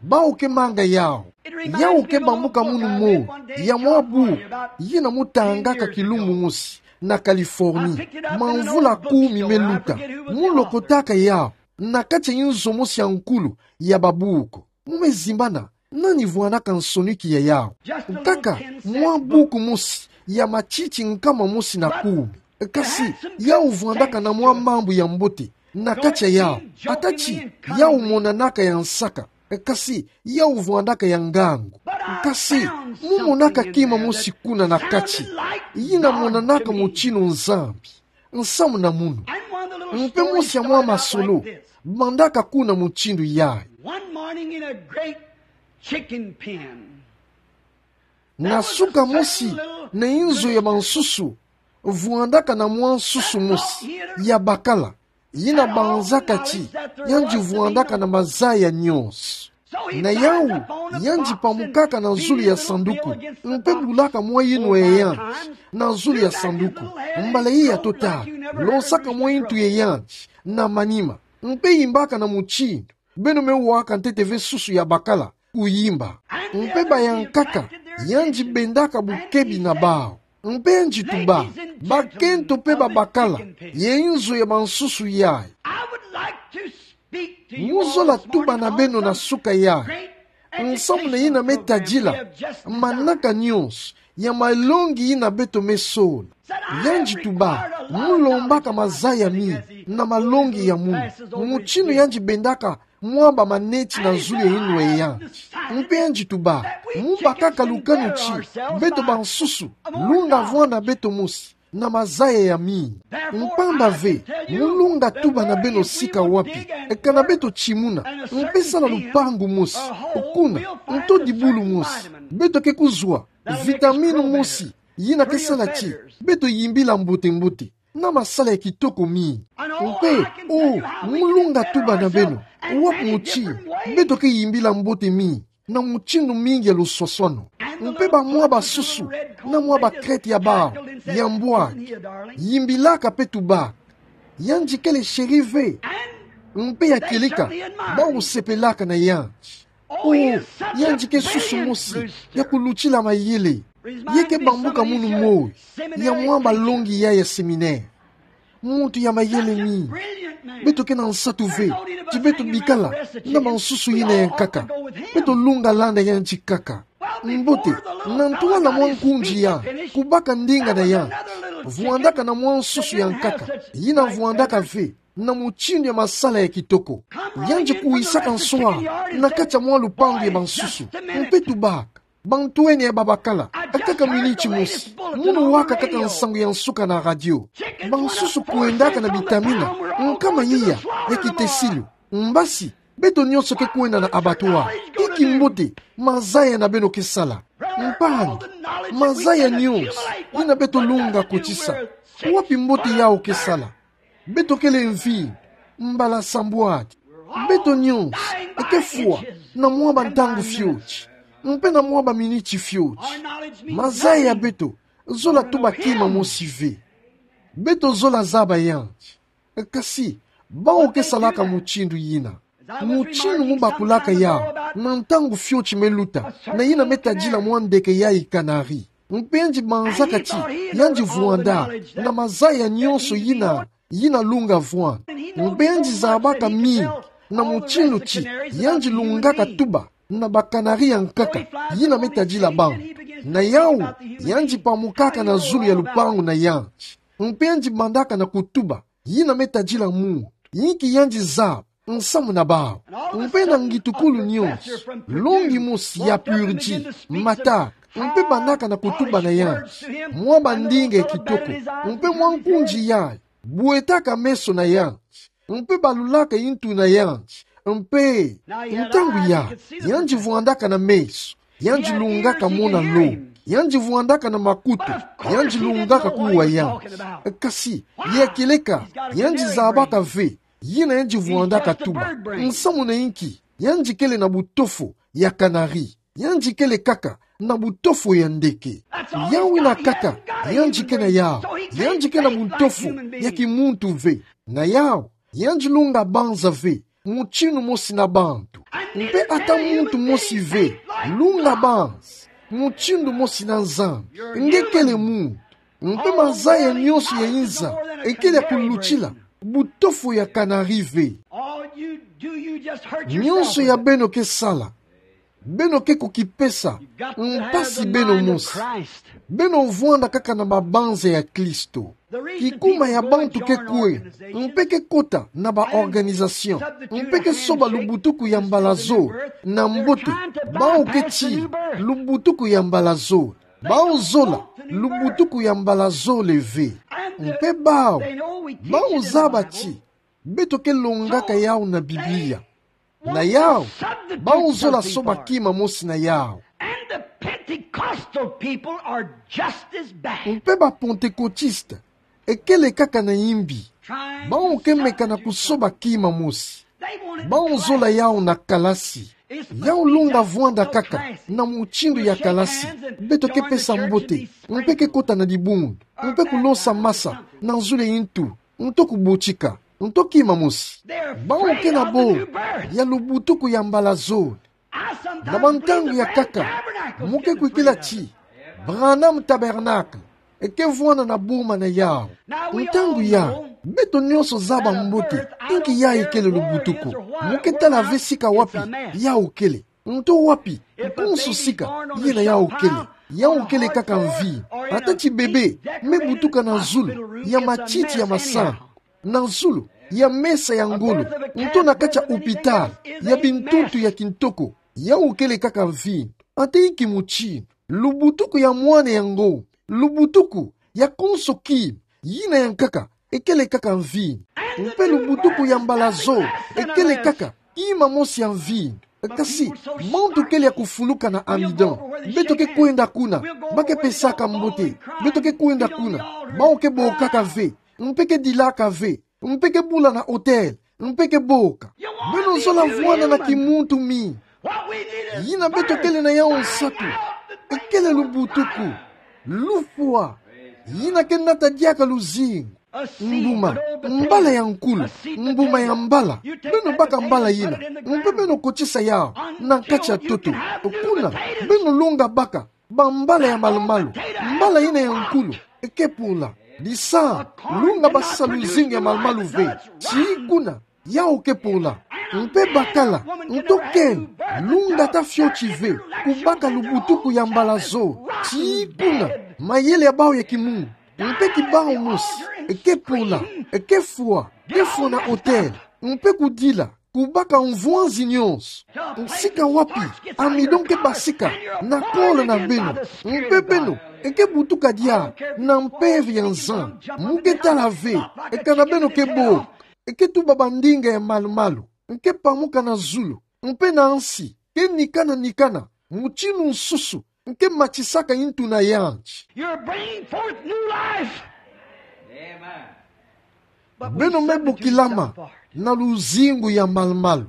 Baoke manga yau. Yau ke bambuka munu moi ya mwa buku yina mu tangaka kilumbu mosi na Californie, mwa mvula kumi me luta. Mu lokotaka yau na kati ya nzo mosi ya nkulu ya babuku. Mu me zimbana nani vwanaka nsoni ki ya yau. Nkaka mwa buku mosi ya matiti nkama mosi na kumi. Kasi yau vwandaka na mwa mambu ya mbote na kati ya yau. Ata ti yau monanaka ya nsaka, kasi yau vwandaka ya ngangu. Kasi mu monaka kima mosi kuna na kati yina monanaka mutinu Nzambi. Nsamu na munu. Mpe mosi ya mwa masolo mandaka kuna mutindu yayi. One morning in a great chicken pen. Na suka mosi na inzo ya bansusu, vwandaka na mwa nsusu mosi ya bakala, yina banzaka ti yandi vwandaka na mazaya nyonso. Na yau, yandi pamukaka na zulu ya sanduku, mpe bulaka mwa yinwa ya yandi na zulu ya sanduku. Mbala iya totatu, losaka mwa yintu ya yandi na manima, mpe yimbaka na mutindu beno me waka ntete ve nsusu ya bakala kuyimba. Mpe bayankaka, yandi bendaka bukebi na bawu. Mpe yandi tuba: Bakento mpe babakala ya inzo ya bansusu yayi, mu zola tuba na beno na suka yayi nsamu na yina me tadila manaka nyonso ya malongi yina beto me sola. Yandi tuba: Mu lombaka mazaya mingi na malongi ya munu. Mutinu yandi bendaka mwa bamaneti na zulu ya yinwa ya yandi. Mpe yandi tuba: Mu bakaka lukanu ti beto bansusu, lunga vwa na beto mosi na mazaya ya mingi. Mpamba ve, mu lunga tuba na beno sika wapi, kana beto timuna, mpe sala lupangu mosi kuna, nto dibulu mosi, beto ke kuzwa vitamini mosi yina ke sala ti beto yimbila mbote-mbote na masala ya kitoko mingi. Mpe, o, mu lunga tuba na beno wapi mutindu beto ke yimbila mbote mingi na mutindu mingi ya luswaswanu. Mpe bamwa basusu na mwa bakreti ya bawu ya mbwaki yimbilaka mpe tubaka: Yandi kele chéri ve. Mpe ya kieleka, bawu sepelaka na yandi. O, yandi ke susu mosi ya kulutila mayele. Ye ke bambuka munu moi ya mwa balongi yayi ya séminaire. Muntu ya mayele mingi. Beto ke na nsatu ve ti beto bikala na bansusu yina ya nkaka. Beto lunga landa yandi kaka. Mbote, na ntwala mwa nkunzi yandi kubaka ndinga na yandi, vwandaka na mwa nsusu ya nkaka yina vwandaka ve na mutindu ya masala ya kitoko. Yandi kuwisaka nswa na kati ya mwa lupangu ya bansusu, mpe tubaka: Bantwenia babakala, kaka miniti mosi, munu waka kaka nsangu ya nsuka na radio. Bansusu kwendaka na bitamina nkama iya ya kitesilu. Mbasi, beto nyonso ke kwenda na abattoir. Inki mbote mazaya na beno ke sala? Mpangi, mazaya nyonso yina beto lunga kotisa, wapi mbote yawu ke sala? Beto kele mvinyo mbala sambwadi. Beto nyonso ke fwa na mwa bantangu fioti, mpe na mwa baminiti fioti. Mazaya ya beto zola tuba kima mosi ve. Beto zola zaba yandi. Kasi, bawu ke salaka mutindu yina. Mutindu mu bakulaka yawu na ntangu fioti me luta, na yina me tadila mwa ndeke yayi kanari. Mpe yandi banzaka ti yandi vwanda na mazaya nyonso yina, yina lunga vwanda. Mpe yandi zabaka mingi na mutindu ti yandi lungaka tuba na bakanari ya nkaka yina me tadila bambu. Na yawu, yandi pamukaka na zulu ya lupangu na yandi. Mpe yandi bandaka na kutuba yina me tadila muntu, inki yandi zaba nsamu na bawu. Mpe na ngitukulu nyonso, longi mosi ya purji mataka, mpe bandaka na kutuba na yandi mwa bandinga ya kitoko, mpe mwa nkunzi yayi bwetaka meso na yandi, mpe balulaka yintu na yandi, mpe ntangu yayi, yandi vwandaka na meso, yandi lungaka mona longi, yandi vwandaka na makutu, yandi lungaka kuwa yandi. Kasi, ya kieleka, yandi zabaka ve yina yandi vwandaka tuba. Nsamu na inki? Yandi kele na butofo ya kanari. Yandi kele kaka na butofo ya ndeke. Yawu yina kaka yandi ke na yawu. Yandi ke na butofo ya kimuntu ve. Na yawu, yandi lunga banza ve mutindu mosi na bantu. Mpe ata muntu mosi ve, lunga banzi, mutindu mosi na Nzambi, nge kele muntu. Mpe mazaya nyonso ya inza, ekele ya kulutila, butofu ya kanari ve. Nyonso ya beno ke sala, beno ke kukipesa mpasi beno mosi. Beno vwanda kaka na mabanza ya Klisto. Kikuma ya bantu ke kwe, mpe ke kota na ba organisation, mpe ke soba lubutuku ya mbala zole na mbote. Bawu ke ti lubutuku ya mbala zole. Bawu zola lubutuku ya mbala zole ve. Mpe bawu, bawu zaba ti beto ke longaka yawu na Biblia. Na yawu, bawu zola soba kima mosi na yawu. And the Pentecostal people are just as bad. Mpe ba Pentecôtiste ekele kaka na imbi. Bawu ke meka na kusoba kima mosi. Bawu zola yawu na kalasi. Yawu longa vwanda kaka na mutindu ya kalasi. Beto ke pesa mbote, mpe ke kota na dibundu, mpe kulosa masa na zulu ya ntu, nto kubotika, nto kima mosi. Bawu ke na boya lubutuku ya mbala zole. Na bantangu ya nkaka, mu ke kwikila ti Branham Tabernacle eke vwanda na boma na yawu. Ntangu yayi, beto nyonso zaba mbote inki yayi kele lubutuku. Mu ke tala ve sika wapi yawu kele, nto wapi, konso sika yena yawu kele. Yawu kele kaka mvinyo. Ata ti bebe me butuka na zulu ya matiti ya masangu, na zulu ya mesa ya ngolo, nto na kati ya hôpital ya bintuntu ya kintoko, yawu kele kaka mvinyo. Ata inki mutindu, lubutuku ya mwana ya ngombe, lubutuku ya konso kima, yina ya nkaka ekele kaka mvinyo. Mpe lubutuku ya mbala zole ekele kaka kima mosi ya mvinyo. Kasi bantu kele ya kufuluka na amidon. Beto ke kwenda kuna, ba ke pesaka mbote. Beto ke kwenda kuna, bawu ke bokaka ve, mpe ke dilaka ve, mpe ke bula na hotel, mpe ke boka. Beno zola vwanda na kimuntu mingi. Yina beto kele na yawu nsatu ekele lubutuku, lufwa, yina ke nata diaka luzingu. Mbuma, mbala ya nkulu, mbuma ya mbala. Beno baka mbala yina, mpe beno kotisa yawu na kati ya ntoto. Kuna, beno longa baka bambala ya malu-malu. Mbala yina ya nkulu eke pola. Disambu, longa basisa luzingu ya malu-malu ve. Tii kuna, yawu ke pola. Mpe bakala, nto keno, longa ata fioti ve, kubaka lubutuku ya mbala zole. Tii kuna, mayele ya bawu ya kimungu, mpe ki bawu mosi, eke pola, eke fwa, ke fwa na hotel, mpe kudila, kubaka mvwanzi nyonso. Sika wapi amidon ke basika na kolo na beno, mpe beno eke butuka diaka na mpeve ya Nzambi. Mu ke tala ve, eka na beno ke boka, eke tuba bandinga ya malu-malu, eke pamuka na zulu, mpe na nsi, ke nikana-nikana, mutindu nsusu eke matisaka ntu na yandi. You're bringing forth new life. Beno me bokilama na luzingu ya malu-malu.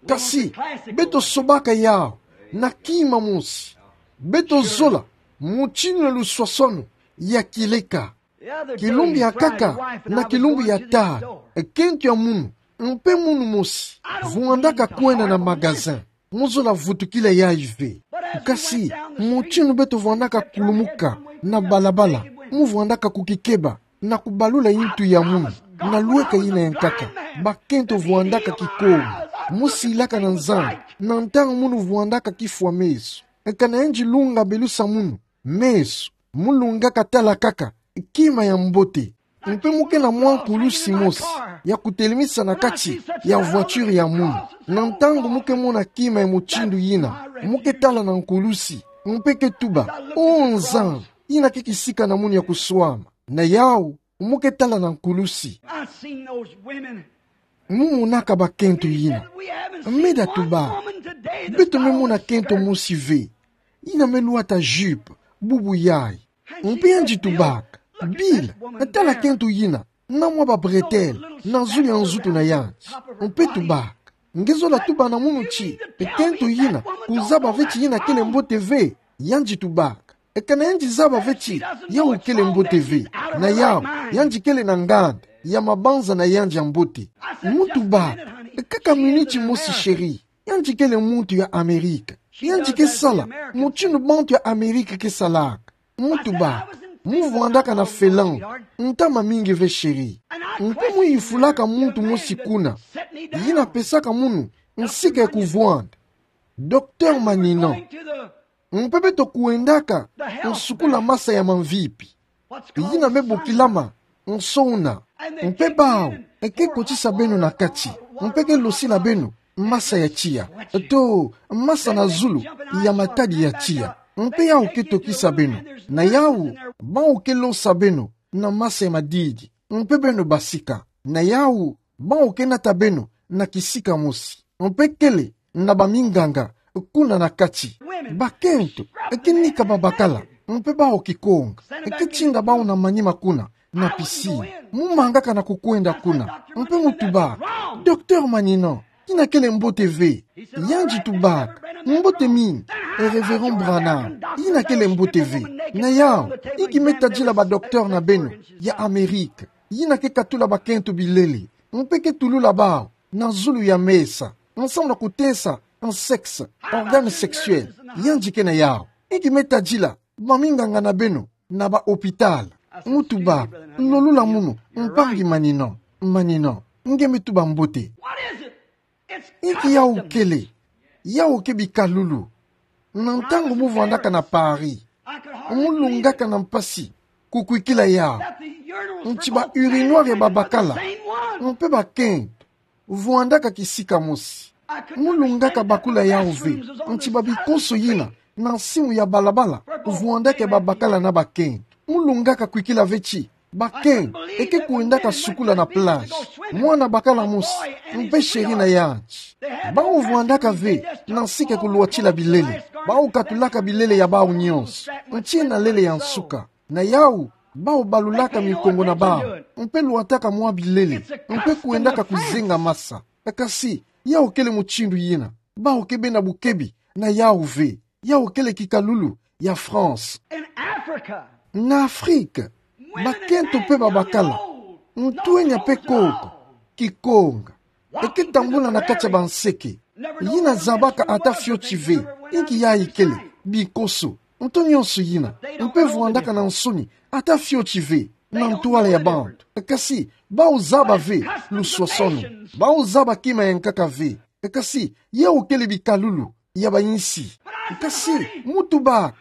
Kasi, beto sobaka yawu na kima mosi. Beto zola mutindu na luswaswanu ya kileka. Kilumbu ya nkaka na kilumbu ya tala, kento ya munu, mpe munu mosi, vwandaka kwenda na magasin. Mu zola vutukila yayi ve. Kasi, mutindu beto vwandaka kulumuka na balabala, mu vwandaka kukikeba na kubalula ntu ya munu, na lweka yina ya nkaka. Bakento vwandaka kikomi, mu silaka na Nzambi, na ntangu munu vwandaka kifwa meso. Eka na yandi lunga belusa munu meso, mu lungaka tala kaka kima ya mbote. Mpe mu ke na mwa nkulusi mosi ya kutelemisa na kati ya voiture ya munu. Na ntangu mu ke mona kima ya mutindu yina, mu ke tala na nkulusi, mpe ke tuba: O Nzambi, yina ke kisika na munu ya kuswama. Na yawu, mu ke tala na nkulusi. I've seen those women. Mu monaka bakento yina. Meda tubaka, beto me mona kento mosi ve yina me lwata jupe, bubu yayi. Mpe yandi tubaka: Bila, tala kento yina, na mwa ba bretelle na zulu ya nzutu na yandi. Mpe tubaka: Nge zola tuba na munu ti kento yina, kuzaba ve ti yina kele mbote ve? Yandi tubaka: Eka na yandi zaba ve ti yawu kele mbote ve, na yawu, yandi kele na nganda ya mabanza na yandi ya mbote. Mu tubaka: Kaka miniti mosi, chéri. Yandi kele muntu ya Amerika. Yandi ke sala mutindu bantu ya Amerika ke salaka. Mutuba, mu vwandaka na Finlande ntama mingi ve, chéri. Mpe mu yifulaka muntu mosi kuna, yina pesaka munu nsika ya kuvwanda. Docteur Manino. Mpe beto kwendaka nsukula masa ya mamvipi, yina me bokilama nso una. Mpe bawu ke kotisa beno na kati, mpe ke losila beno masa ya tiya, to masa na zulu ya matadi ya tiya. Mpe yawu ke tokisa beno. Na yawu, bawu ke losa beno na masa ya madidi, mpe beno basika. Na yawu, bawu ke nata beno na kisika mosi. Mpe kele na baminganga kuna na kati. Bakento ke nika babakala, mpe bawu kikonga. Ke tinda bawu na manima kuna na piscine. Mu mangaka na kukwenda kuna, mpe mu tuba: Docteur Manino, yina kele mbote ve. Yandi tubaka: Mbote mingi, e Révérend Branham, yina kele mbote ve. Na yawu, inki me tadila ba docteur na beno ya Amerika, yina ke katula bakento bilele, mpe ke tulula bawu na zulu ya mesa, nsamu na kutesa sexe, organe sexuel? Yandi ke na yawu. Inki me tadila baminganga na beno na ba hôpital? Mu tuba: Lolula munu, mpangi Manino. Manino, nge me tuba mbote. Inki yawu kele? Yawu ke bikalulu. Na ntangu mu vwandaka na Paris, mu lungaka na mpasi kukwikila yawu. Nti ba urinoir ya babakala, mpe bakento vwandaka kisika mosi. Mu lungaka bakula yawu ve, nti ba bikonso yina na nsimu ya balabala vwandaka ya babakala na bakento. Mu lungaka kwikila ve ti bakento ke kwendaka sukula na plage. Mwana bakala mosi, mpe chéri na yandi. Bawu vwandaka ve na nsika ya kulwatila bilele. Bawu katulaka bilele ya bawu nyonso, nti na lele ya nsuka. Na yawu, bawu balulaka mikongo na bawu, mpe lwataka mwa bilele, mpe kwendaka kuzenga masa. Kasi yawu kele mutindu yina. Bawu ke bena bukebi na yawu ve. Yawu kele kikalulu ya France. Na Afrika, bakento mpe babakala, ntwenya mpe koko, kikonga, ke tambula na kati ya banseke. Yina zabaka ata fioti ve inki yayi kele, bikonso, nto nyonso yina. Mpe vwandaka na nsoni ata fioti ve na ntwala ya bantu. Kasi bawu zaba ve luswaswanu. Bawu zaba kima ya nkaka ve. Kasi yawu kele bikalulu ya bayinsi. Kasi mu tubaka: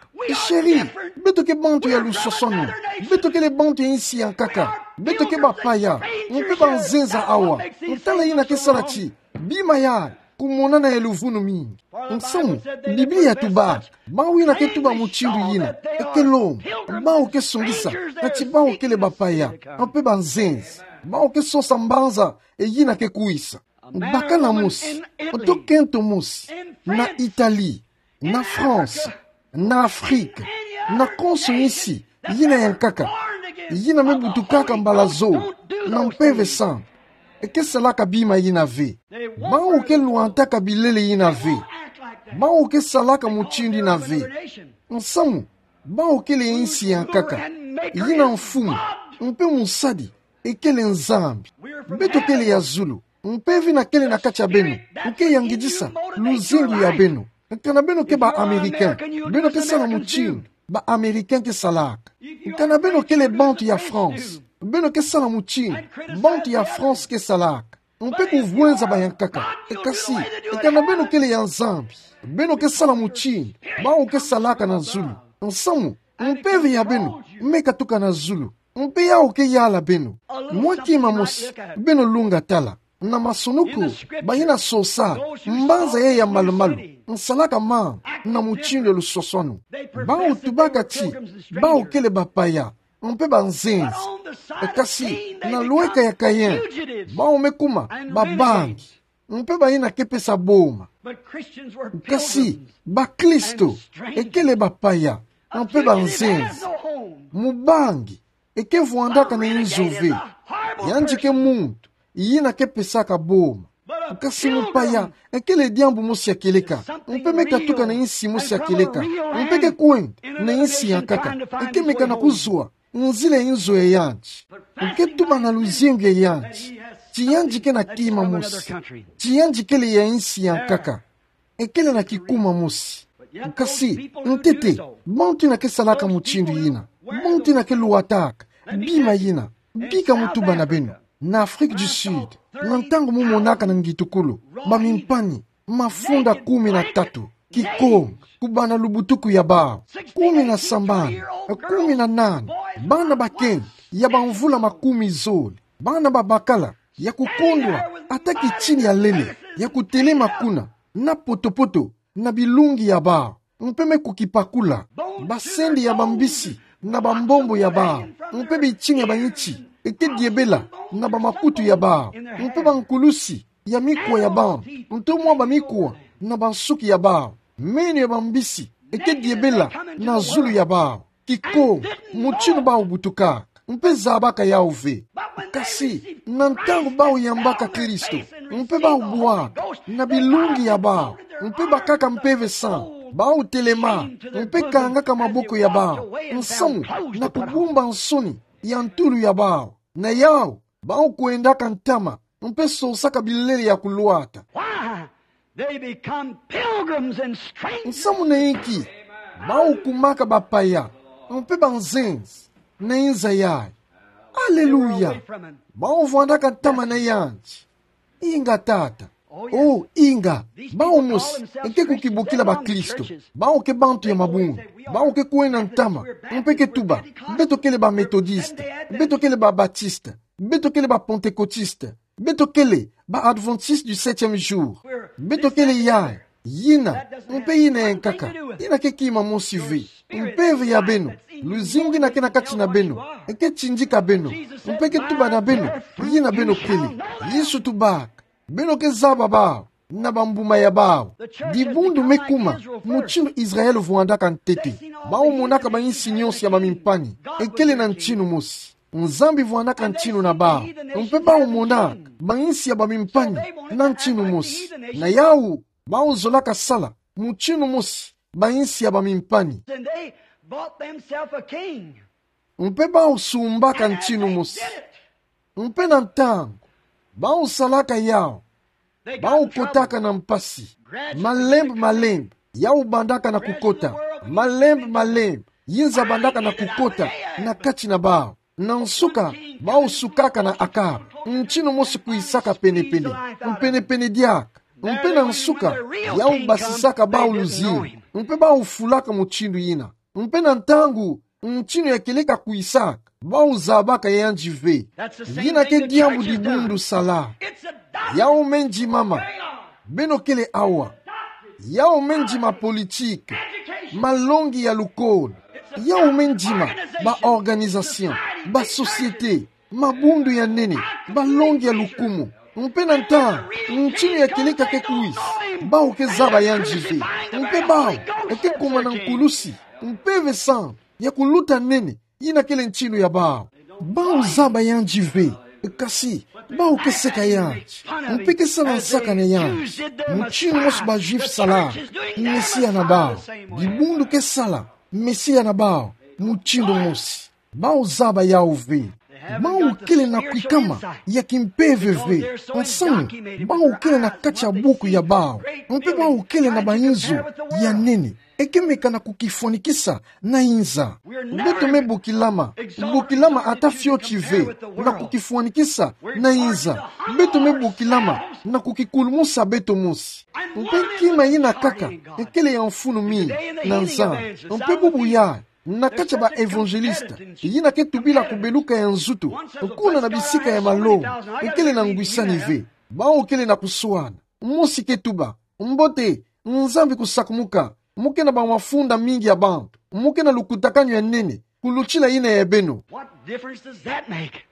Chéri, beto ke bantu ya luswaswanu. Beto kele bantu ya insi ya nkaka. Beto ke bapaya, mpe banzenza awa. Ntala yina ke sala ti bima ya kumonana ya luvunu mingi. Nsamu, Biblia tubaka: Bawu yina ke tuba mutindu yina ke lomba, bawu ke songisa ti bawu kele bapaya, mpe banzenza. Bawu ke sosa mbanza yina ke kwisa. Bakala mosi, to kento mosi, na Italie, na France, na Afrika, na konso insi yina ya nkaka, yina me butukaka mbala zole na Mpeve Santu, ke salaka bima yina ve. Bawu ke lwataka bilele yina ve. Bawu ke salaka mutindu yina ve. Nsamu, bawu kele insi ya nkaka, yina mfumu, mpe mosadi kele Nzambi. Beto kele ya zulu. Mpeve yina kele na kati ya beno, nke yangidisa luzingu ya beno. Kana beno ke ba Américain, beno ke sala mutindu ba Américain ke salaka. Kana beno kele bantu ya France, beno ke sala mutindu bantu ya France ke salaka. Mpe kuvwenza ba ya nkaka. Kasi, kana beno kele ya Nzambi, beno ke sala mutindu bawu ke salaka na zulu. Nsamu, mpeve ya beno me katuka na zulu. Mpe yawu ke yala beno. Mwa kima mosi, beno lunga tala. Na masunuku, bayina sosa mbanza yai ya malumalu nsalaka mamba na mutindu ya luswaswanu. Bawu tubaka ti bawu kele bapaya, mpe banzenza. Kasi, na lweka ya Caïn, bawu me kuma babangi, mpe bayina ke pesa boma. Kasi, bakristo kele bapaya, mpe banzenza. Mubangi ke vwandaka na inzo ve. Yandi ke muntu yina ke pesaka boma. Kasi mupaya kele diambu mosi ya kieleka, mpe me katuka na insi mosi ya kieleka, mpe ke kwenda na insi ya nkaka, ke meka na kuzwa nzila ya inzo ya yandi. Ke tuba na luzingu ya yandi Ti yandi ke na kima mosi. Ti yandi kele ya nsi ya nkaka. Ekele na kikuma mosi. Kasi, ntete, bantu ina ke salaka mutindu ina. Bantu ina ke luataka bima ina. Bika mutuba na beno. Na Afrique du Sud, na ntangu mu monaka na ngitukulu bamimpani mafunda kumi na tatu, kikonga, kubana lubutuku ya bawu, kumi na sambanu, kumi na nana, bana bakento ya bamvula makumi zole, bana babakala, ya kukondwa ata kitini ya lele, ya kutelema kuna, na poto-poto, na bilungi ya bawu, mpe me kukipakula, basende ya bambisi, na bambombo ya bawu, mpe bitini ya bayinti, eke diebela, na bamakutu ya bawu, mpe bankulusi, ya mikwa ya bawu, nto mwa bamikwa, na bansuki ya bawu, meno ya bambisi, eke diebela, na zulu ya bawu, kikonga, mutindu bawu butukaka, mpe zabaka yawu ve. Kasi, na ntangu bawu yambaka Kristo, mpe bawu bwaka, na bilungi ya bawu, mpe bakaka Mpeve Santu, bawu telema, mpe kangaka maboko ya bawu, nsamu, na kubumba nsoni, ya ntulu ya bawu, na yawu, bawu kwendaka ntama, mpe sosaka bilele ya kulwata. Why? They become pilgrims and strangers. Nsamu na inki, bawu kumaka bapaya, mpe banzenzi, na inza yayi. Aleluya. Bawu vwandaka ntama na yandi. Inga tata. Oh, inga. Bawu mosi, eke kukibukila bakristo. Bawu ke bantu ya mabundu. Bawu ke kwenda ntama. Mpe ke tuba, beto kele ba Methodiste. Beto kele ba Baptiste. Beto kele ba Pentecôtiste. Beto kele ba Adventiste du septième jour. Beto kele yayi, yina, mpe yina ya nkaka. Yina ke kima mosi ve. Mpeve ya beno, luzingu ina ke na kati na beno, eke tindika beno, mpe ke tuba na beno yina beno kele. Yesu tubaka, beno ke zaba bawu na bambuma ya bawu. Dibundu me kuma mutindu Israël vwandaka ntete. Bawu monaka bayinsi nyonso ya bamimpani ekele na ntinu mosi. Nzambi vwandaka ntinu na bawu, mpe bawu monaka bayinsi ya bamimpani na ntinu mosi. Na yawu, bawu zolaka sala mutindu mosi bayinsi ya bamimpani. And they bought themselves a king. Mpe bawu sumbaka ntinu mosi. Mpe na ntangu bawu salaka yawu, bawu kotaka na mpasi. Malembe malembe, yawu bandaka na kukota. Malembe malembe, yinza bandaka na kukota na kati na bawu. Na nsuka, bawu sukaka na Akab. Ntinu mosi kwisaka pene-pene, mpene-pene diaka. Mpe na nsuka, yawu basisaka bawu luzingu. Mpe bawu fulaka mutindu yina. Mpe na ntangu ntinu ya kieleka kwisaka, bawu zabaka yandi ve. Yina ke diambu dibundu sala. Yawu me ndimama. Beno kele awa. Yawu me ndima politique, malongi ya lukolo. Yawu me ndima ba organisation, ba société, mabundu ya nene, balongi ya lukumu. Mpe na ntangu ntinu ya kieleka ke kwisa, bawu ke zaba yandi ve. Mpe bawu eke kuma na nkulusi, Mpeve Santu ya kuluta nene, yina kele ntinu ya bawu. Bawu zaba yandi ve, kasi bawu ke seka yandi, mpe ke sala nsaka na yandi. Mutindu mosi ba Juifs sala Mesia na bawu, dibundu ke sala Mesia na bawu mutindu mosi. Bawu zaba yawu ve. Bawu kele na kwikama ya kimpeve ve. Nsangu, bawu kele na kati ya buku ya bawu. Mpe bawu kele na bayinzo ya nene eke meka na kukifwanikisa na inza. Beto me bokilama, bokilama ata fioti ve na kukifwanikisa na inza. Beto me bokilama na kukikulumusa beto mosi. Mpe kima yina kaka ekele ya mfunu mingi na Nzambi. Mpe bubu yayi, na kati ya ba évangéliste, yina ke tubila kubeluka ya nzutu kuna na bisika ya malongi, ekele na ngwisani ve. Bawu kele na kuswana. Mosi ke tuba: Mbote, Nzambi kusakumuka. Mu ke na bamafunda mingi ya bantu. Mu ke na lukutakanu ya nene kulutila yina ya beno. What difference does that make?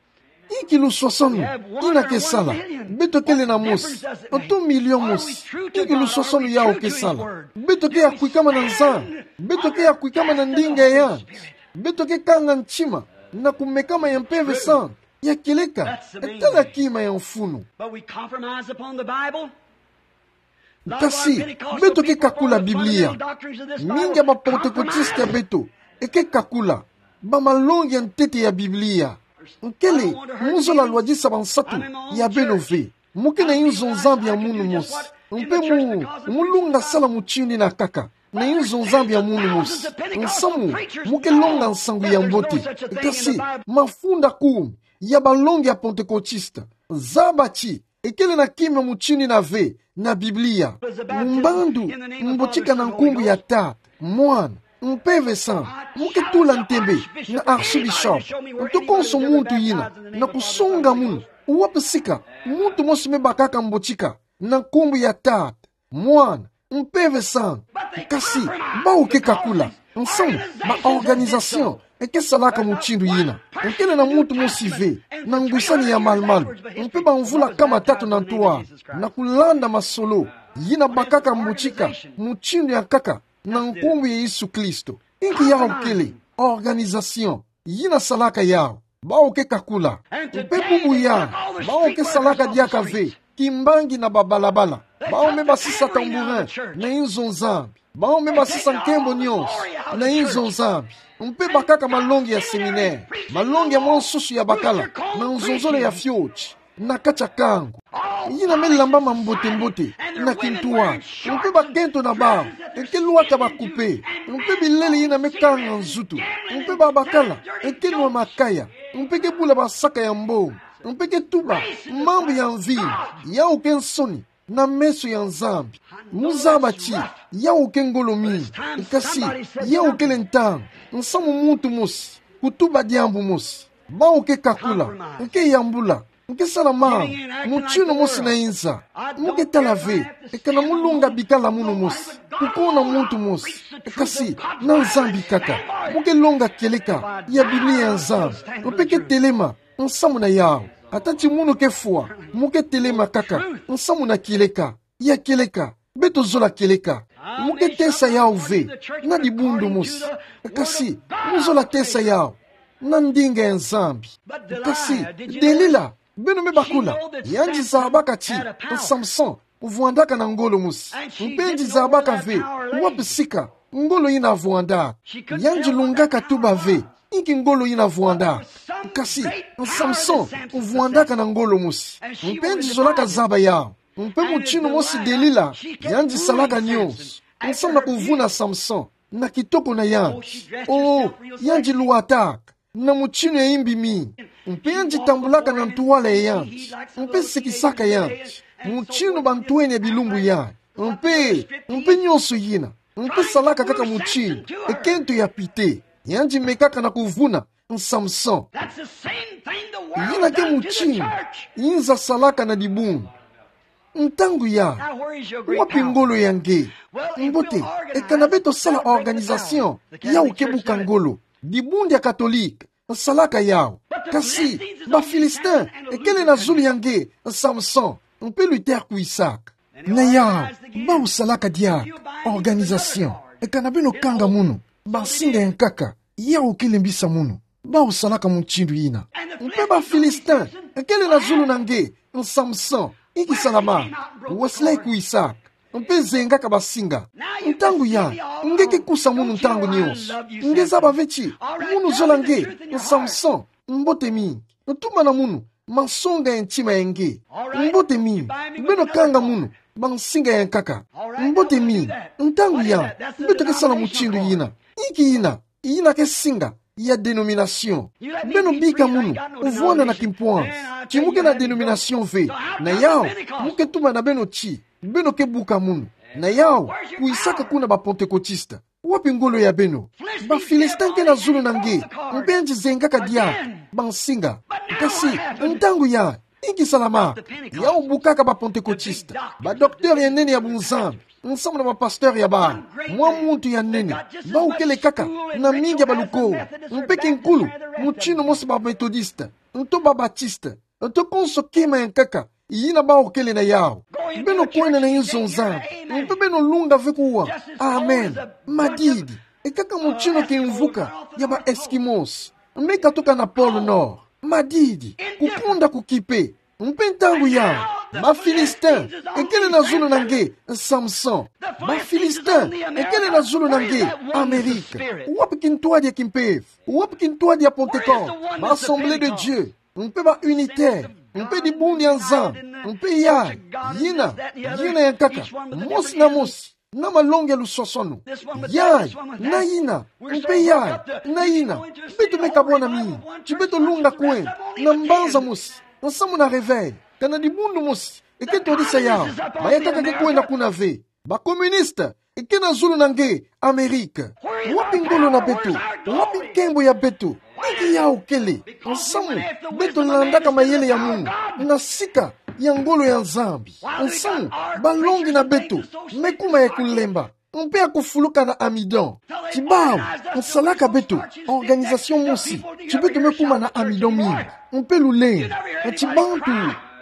Inki luswaswanu yina ke sala? Beto kele na mosi, nto milio mosi. Inki luswaswanu yawu ke sala? Beto ke ya kwikama na Nzambi? Beto ke ya kwikama na ndinga ya yandi? Beto ke kanga ntima na kumekama ya Mpeve Santu? Ya kieleka, tala kima ya mfunu. But we compromise upon the Bible. Kasi, beto ke kakula Biblia. Mingi ya ba Pentecôtiste ya beto eke kakula bamalongi ya ntete ya Biblia. Nkele, mo zola lwadisa bansatu ya beno ve. Mo ke na inzo Nzambi ya munu mosi. Mpe mo, mo lunga sala mutindu ina kaka na inzo Nzambi ya munu mosi. Nsamu, mo ke longa nsangu ya mbote. Kasi, mafunda kumi ya balongi ya Pentekotista, zaba ti ekele na kima mutindu ina ve na Biblia. Mbandu mbotika na nkumbu ya Tata, Mwana, Mpeve Santu. Mo ke tula ntembe na archbishop, nto konso muntu ina, na kusonga munu wapi sika muntu mosi me bakaka mbotika na nkumbu ya Tata, Mwana, Mpeve Santu. Kasi, bau ke kakula. Nsamu, ba organisation eke salaka mutindu ina. Nkele na muntu mosi ve na ngwisani ya malumalu, mpe bamvula kama tatu na ntwala, na kulanda masolo, ina bakaka mbotika mutindu ya nkaka na nkumbu ya Yesu Kristo. Inki yau kele organisation ina salaka yau. Bau ke kakula. Mpe bubu ya, bau ke salaka diaka ve kimbangi na babalabala. Bau me basisa tambourin na inzo Nzambi. Bau me basisa nkembo nyonso na inzo Nzambi. Mpe bakaka malongi ya séminaire, malongi ya mwa nsusu ya bakala, na nzonzolo ya fioti na kati ya kangu. Ina me lambama mbote-mbote na kintwala. Mpe bakento na bau eke lwata bakupe. Mpe bilele ina me kanga nzutu. Mpe babakala eke nwa makaya. Mpe ke bula basaka ya mbongo. Mpe ke tuba mambu ya mvinyo. Yau ke nsoni na meso ya Nzambi. Mo zaba ti yau ke ngolo mingi. Kasi, yau kele ntangu nsamu muntu mosi kutuba diambu mosi. Bau ke kakula, nke yambula, nke sala mambu mutindu mosi na inza. Mo ke tala ve ekana mo longa bikala munu mosi, kukona muntu mosi, kasi na Nzambi kaka. Mo ke longa kieleka ya Biblia ya Nzambi, mpe ke telema nsamu na yau. Ata ti munu ke fwa, mo ke telema kaka nsamu na kieleka. Ya kieleka, beto zola kieleka. Mo ke tesa yau ve na dibundu mosi. Kasi, mo zola tesa yau na ndinga ya Nzambi. Kasi, Delila, beno me bakula, yandi zabaka ti Samson vwandaka na ngolo mosi. Mpe yandi zabaka ve wapi sika ngolo ina vwandaka. Yandi lungaka tuba ve inki ngolo ina vwandaka. Kasi, Samson vwandaka na ngolo mosi. Mpe yandi zolaka zaba yau. Mpe mutindu mosi Delila, yandi salaka nyonso nsamu na kuvuna Samson na kitoko na yandi. Oh, yandi lwataka na mutindu ya imbi mingi. Mpe yandi tambulaka na ntwala ya yandi, mpe sikisaka yandi mutindu bantwenia bilumbu yandi. Mpe, mpe nyonso ina, mpe salaka kaka mutindu ekento ya pite. Yandi mekaka na kuvuna Samson. Ina ke mutindu inza salaka na dibundu. Ntangu ya, wapi ngolo ya nge? Mbote, ekana beto sala organisation, yau ke buka ngolo. Dibundu ya Katolika nsalaka yau. Kasi, ba Philistin ekele na zulu ya nge, Samson, mpe Luther kwisaka. Na yau, bau salaka diaka organisation, ekana beno kanga munu bansinga ya nkaka, yau ke lembisa munu. Bau salaka mutindu ina. Mpe ba Philistin ekele na zulu na nge, Samson, inki salamaka? Wesley kwisaka, mpe zengaka basinga. Ntangu ya, nge ke kusa munu ntangu nyonso. Nge zaba ve ti munu zola nge, Samson. Mbote mingi. Tumana munu mansonga ya ntima ya nge. Mbote mingi. Beno kanga munu bansinga ya nkaka. Mbote mingi. Ntangu ya, beto ke sala mutindu ina. Inki ina? Ina ke singa ya denomination. Beno bika munu vwanda na kimpwanzi ti mo ke na denomination ve. Na yau, mo ke tumana beno ti beno ke buka munu. Na yau, kwisaka kuna ba Pentekotista. Wapi ngolo ya beno? Ba Philistin ke na zulu na nge, mpe yandi zengaka diaka bansinga. Kasi, ntangu ya, inki salamaka? Yau bukaka ba Pentekotista, ba docteur ya nene ya bunzambi, nsamu na ba pasteur ya bau. Mwa muntu ya nene, bau kele kaka na mingi ya balukolo, mpe kinkulu, mutindu mosi ba Methodiste, nto ba Baptiste, nto konso kima ya nkaka ina bau kele na yau. Beno kwenda na inzo Nzambi, mpe beno lunga ve kuwa amen madidi. Ekaka mutindu kimvuka ya ba Eskimos, me katuka na Pôle Nord. Madidi, kukonda kukipe. Mpe ntangu ya, Ba Philistin ekele na zulu na nge Samson. Ba Philistin ekele na zulu na nge Amerika. Wapi kintwadi ya kimpeve? Wapi kintwadi ya Pentecôte? Ba Assemblée de Dieu, mpe ba Unitaire, mpe dibundu ya Nzambi, mpe yayi, yina, yina yankaka, mosi na mosi, na malongi ya luswaswanu. Yayi, na yina, mpe yayi, na yina, beto me kabwana mingi, ti beto lunga kwenda na mbanza mosi, nsamu na réveil, kana dibundu mosi eke twadisa yawu, bayankaka ke kwenda kuna ve. Ba communiste eke na zulu na nge Amerika. Wapi ngolo na beto? Wapi nkembo ya beto? Inki yawu kele? Nsamu beto landaka mayele ya munu na sika ya ngolo ya Nzambi. Nsamu balongi na beto me kuma ya kulemba, mpe ya kufuluka na amidon. Ti bawu, nsalaka beto organisation mosi, ti beto me kuma na amidon mingi, mpe lulendo. Ti bantu,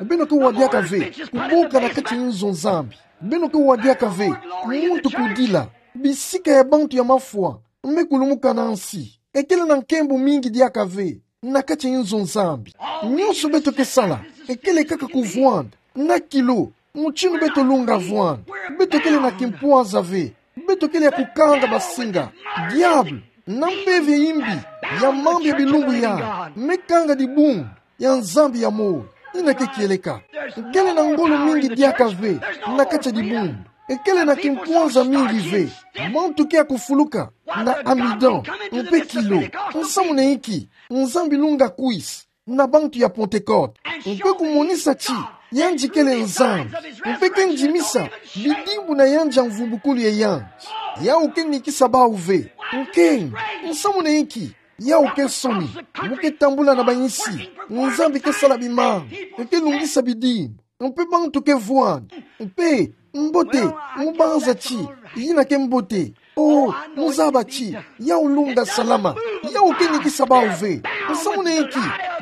beno ke wadiaka ve kuboka na kati nzo Nzambi. Beno ke wadiaka ve muntu kudila. Bisika ya bantu ya mafwa me kulumuka na nsi. Ekele na nkembo mingi diaka ve na kati nzo Nzambi. Nyonso beto ke sala ekele kaka kuvwanda na kilo, mutindu beto lunga vwanda. Beto kele na kimpwaza ve. Beto kele ya kukanga basinga. Diabulu na mpeve imbi ya mambu ya bilumbu yayi me kanga dibundu ya Nzambi ya moyo. Yina ke kieleka. Kele na ngolo mingi diaka ve na kati ya dibundu. Ekele na kimpwaza mingi ve. Bantu ke ya kufuluka na amidon mpe kilo. Nsamu na inki? Nzambi lunga kwisa na bantu ya Pentecôte, mpe kumonisa ti yandi kele Nzambi, mpe ke ndimisa bidimbu na yandi ya mvumbukulu ya yandi. Yawu ke nikisa bawu ve. Nkengi. Nsamu na inki? Yawu ke nsoni. Mu ke tambula na bayinsi, Nzambi ke sala bimanga, ke lungisa bidimbu, mpe bantu ke vwanda. Mpe mbote, mu banza ti yina ke mbote. Oh, mu zaba ti yawu lunga salama. Yawu ke nikisa bawu ve. Nsamu na inki?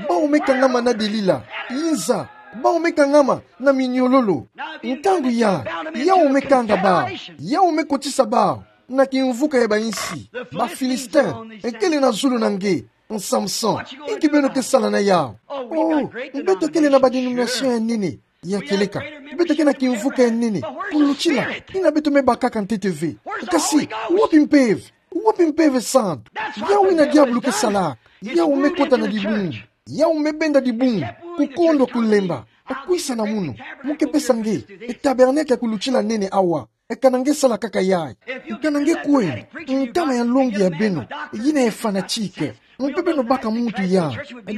Bawu me kangama na Delila. Yinza, bawu me kangama na minyololo. Ntangu yayi, yawu me kanga bawu. Yawu me kotisa bawu na kimvuka ya bayinsi. Ba Philistin ekele na zulu na nge Samson. Inki beno ke sala na yawu? Oh, beto kele na ba dénomination ya nene ya kieleka. Beto ke na kimvuka ya nene kulutila yina beto me bakaka ntete ve. Kasi wapi mpeve? Wapi Mpeve Santu? Yawu yina diabulu ke salaka. Yawu me kota na dibundu. Yawu me benda dibundu, kukondwa kulemba. Kwisa na munu, mu ke pesa nge e tabernacle ya kulutila nene awa. Kana nge sala kaka yayi. Kana nge kwenda, ntama ya nlongi ya beno yina ya fanatique, mpe beno baka muntu ya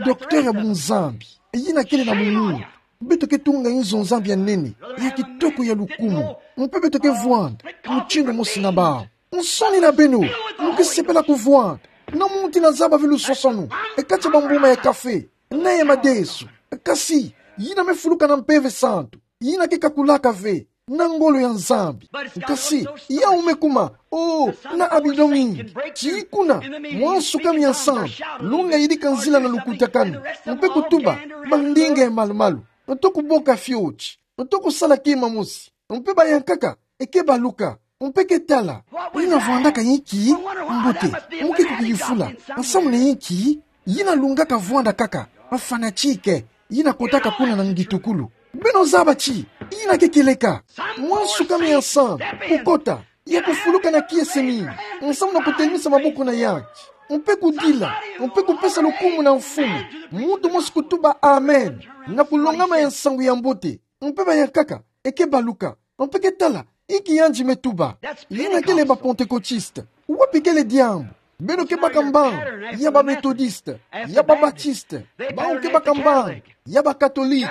docteur ya bunzambi, yina kele na munu. Beto ke tunga inzo Nzambi ya nene, ya kitoko, ya lukumu. Mpe beto ke vwanda mutindu mosi na bawu. Nsoni na beno, mu ke sepela kuvwanda na muntu yina zaba ve luswaswanu e kati ya bambuma ya kafe na ya madesu. Kasi yina me fuluka na Mpeve Santu, yina ke kakulaka ve na ngolo ya Nzambi. Kasi yawu me kuma, oh, na abidon mingi. Ti kuna, mwa nsuka mia nsambu, longa yidika nzila na lukutakanu, mpe kutuba bandinga ya malu-malu, to kuboka fioti, to kusala kima mosi. Mpe bayankaka e ke baluka, mpe ke tala: Yina vwandaka inki? Mbote, mu ke kukiyufula: Nsamu na inki? Yina lungaka vwanda kaka, fanatique, yina kotaka kuna na ngitukulu. Beno zaba ti yina ke kieleka. Mwa nsuka mia nsambu, kukota, ya kufuluka na kiese mingi, nsamu na kutelemisa maboko na yandi, mpe kudila, mpe kupesa lukumu na Mfumu. Muntu mosi kutuba amen na kulongama ya nsangu ya mbote. Mpe bayankaka e ke baluka, mpe ke tala inki yandi me tuba. Yina kele ba Pentecôtiste. Wapi kele diambu? Beno ke baka mbandu ya ba Méthodiste, ya ba Batiste. Bawu ke baka mbandu ya ba Catholique.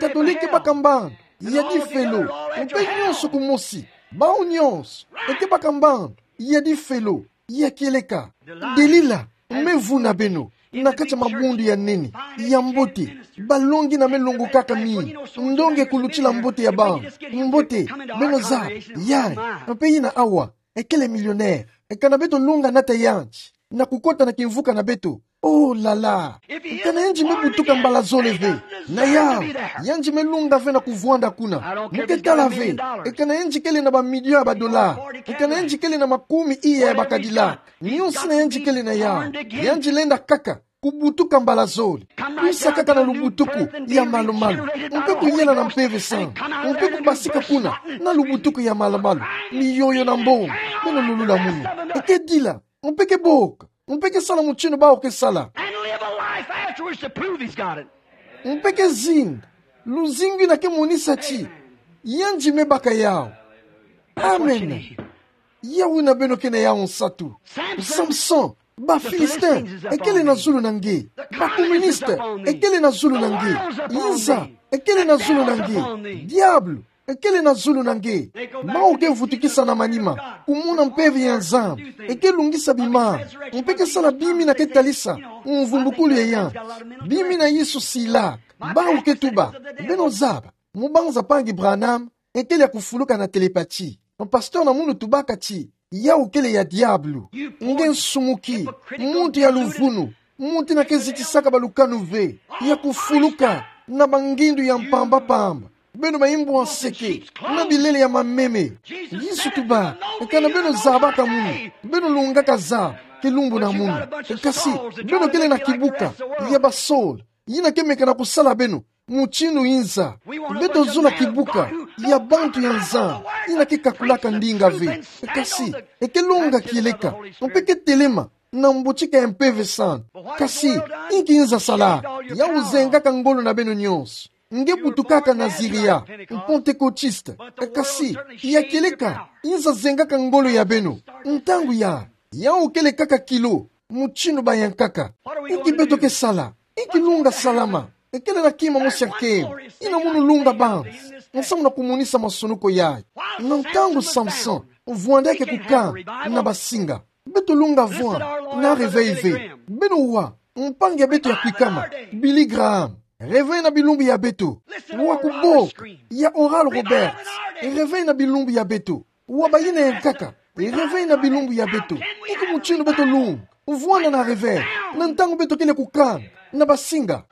Catholique ke baka mbandu ya difelo. Mpe nyonso kumosi, bawu nyonso e ke baka mbandu ya difelo. Ya kieleka, Delila me vuna beno na kati ya mabundu ya nene ya mbote. Balongi yina me longokaka mingi, ndonga ya kulutila mbote ya bawu. Mbote, beno zaba, yayi, mpe yina awa e kele millionnaire. Kana beto longa nata yandi na kukota na kimvuka na beto, oh là là! Kana yandi me butuka mbala zole ve, na yawu, yandi me longa ve na kuvwanda kuna. Mu ke tala ve kana yandi kele na ba million ya ba dollars, kana yandi kele na makumi iya ya ba Cadillac. Nyonso yina yandi kele na yawu, yandi lenda kaka kubutuka mbala zole. Kwisa kaka na lubutuku ya malumalu, mpe kuyela na Mpeve Santu, mpe kubasika kuna na lubutuku ya malumalu, miyoyo na mbongo, beno lulula munu. Eke dila, mpe ke boka, mpe ke sala mutindu bawu ke sala. And live a life afterwards to prove he's got it. Mpe ke zinga luzingu ina ke monisa ti yandi me baka yawu. Amen. Yawu ina beno ke na yawu nsatu. Samson, ba Philistin ekele na zulu na nge. Ba communiste ekele na zulu na nge. Inza ekele na zulu na nge. Diabulu ekele na zulu na nge. Bawu ke vutukisa na manima, kumona mpeve ya Nzambi. Eke lungisa bima, mpe ke sala bima ina ke talisa mvumbukulu ya yandi. Bima ina Yesu silaka. Bawu ke tuba: Beno zaba, mubanza mpangi Branham ekele ya kufuluka na télépathie. Pasteur na munu tubaka ti yawu kele ya diabulu. Nge nsumuki, muntu ya luvunu, muntu ina ke zitisaka balukanu ve, ya kufuluka na bangindu ya mpamba-mpamba. Beno baimbu ya nseke na bilele ya mameme. Yesu tuba: Kana beno zabaka munu, beno lungaka zaba kilumbu na munu. Kasi beno kele na kibuka ya basola ina ke meka na kusala beno mutindu inza. Beto zola kibuka ya bantu ya Nzambi ina ke kakulaka ndinga ve. Kasi eke longa kieleka, mpe ke telema na mbotika ya Mpeve Santu. Kasi inki inza sala? Yawu zengaka ngolo na beno nyonso. Nge butukaka Naziria, Pentekotiste. Kasi ya kieleka, inza zengaka ngolo ya beno. Ntangu ya, yawu kele kaka kilo mutindu bayankaka. Inki beto ke sala? Inki lunga salama? Ekele na kima mosi ya nkembo ina munu lunga banzi nsamu na kumonisa masonoko yayi. Na ntangu Samson vwandaka kukanga na basinga, beto lunga vwanda na réveil ve. Beno wa, mpangi ya beto ya kwikama, Billy Graham, réveil na bilumbu ya beto. Wa kuboka ya Oral Roberts, réveil na bilumbu ya beto. Wa bayina yankaka, réveil na bilumbu ya beto. Inki mutindu beto lunga vwanda na réveil na ntangu beto kele kukanga na basinga?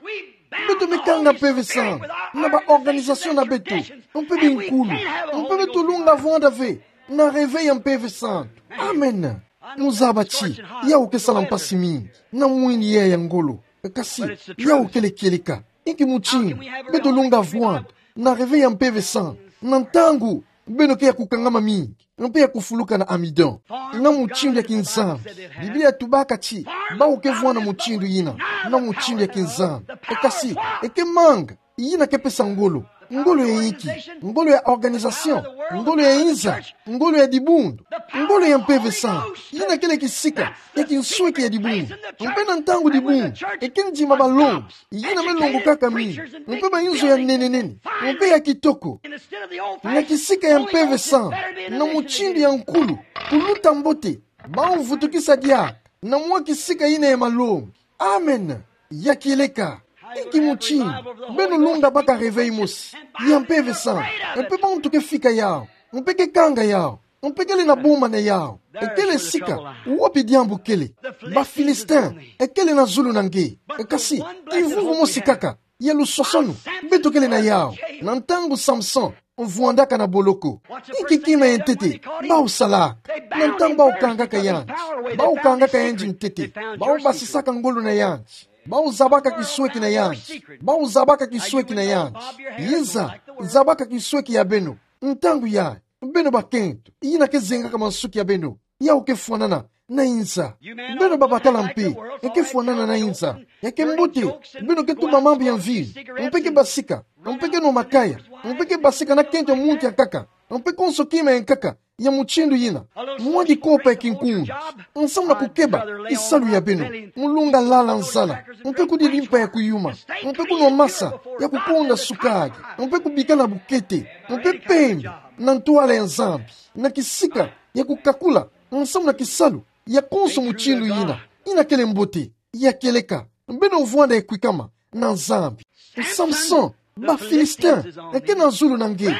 Beto me kanga Mpeve Santu na ba organisation na beto, mpe binkulu. Mpe beto lunga vwanda ve na réveil ya Mpeve Santu. Amen. Muzaba ti yawu ke sala mpasi mingi na mwini ya ngolo. Kasi yawu kele kieleka. Inki mutindu beto lunga vwanda na réveil ya Mpeve Santu na ntangu beno ke ya kukangama mingi, mpe ya kufuluka na amidon? Na mutindu ya kinzambi. Biblia tubaka ti bawu ke vwanda mutindu yina, na mutindu ya kinzambi. Kasi eke manga yina ke pesa ngolo. Ngolo ya inki? Ngolo ya organisation, ngolo ya inza, ngolo ya dibundu, ngolo ya Mpeve Santu. Yina kele kisika ya kinsweki ya dibundu. Mpe na ntangu dibundu eke ndima balongi, yina me longokaka mingi, mpe bainzo ya nene-nene, mpe ya kitoko. Na kisika ya Mpeve Santu, na mutindu ya nkulu kuluta mbote, bawu vutukisa diaka na mwa kisika yina ya malongi. Amen. Ya kieleka. Inki mutindu beno lunga baka réveil mosi ya Mpeve Santu? Mpe bantu ke fika yawu, mpe ke kanga yawu, mpe kele na boma na yawu. Ekele sika wapi diambu kele. Ba Philistin ekele na zulu na nge. Kasi kivuvu mosi kaka ya lusosono beto kele na yawu na ntangu Samson vwandaka na boloko. Inki kima ya ntete bawu salaka? Na ntangu bawu kangaka yandi, bawu kangaka yandi ntete, bawu basisaka ngolo na yandi, bawu zabaka kisweki na yandi, bawu zabaka kisweki na yandi. Inza zabaka kisweki ya beno. Ntangu yayi, beno bakento, yina ke zengaka mansuki ya beno, yawu ke fwanana na inza. Beno babakala mpe, eke fwanana na inza. Ya ke mbote beno ke tuba mambu ya mvinyo, mpe ke basika, mpe ke nwa makaya, mpe ke basika na kento ya muntu yankaka, mpe konso kima yankaka ya mutindu yina. Mwa dikopa ya kinkunzi nsamu na kukeba kisalu ya beno, mu lunga lala nzala, mpe kudidi mpa ya kuyuma, mpe kunwa masa ya kukonda sukali, mpe kubikala bukete, mpe pembi na ntwala ya Nzambi, na kisika ya kukakula nsamu na kisalu ya konso mutindu yina, yina kele mbote. Ya kieleka, beno vwanda ya kwikama na Nzambi. Samson, ba Philistin eke na zulu na nge.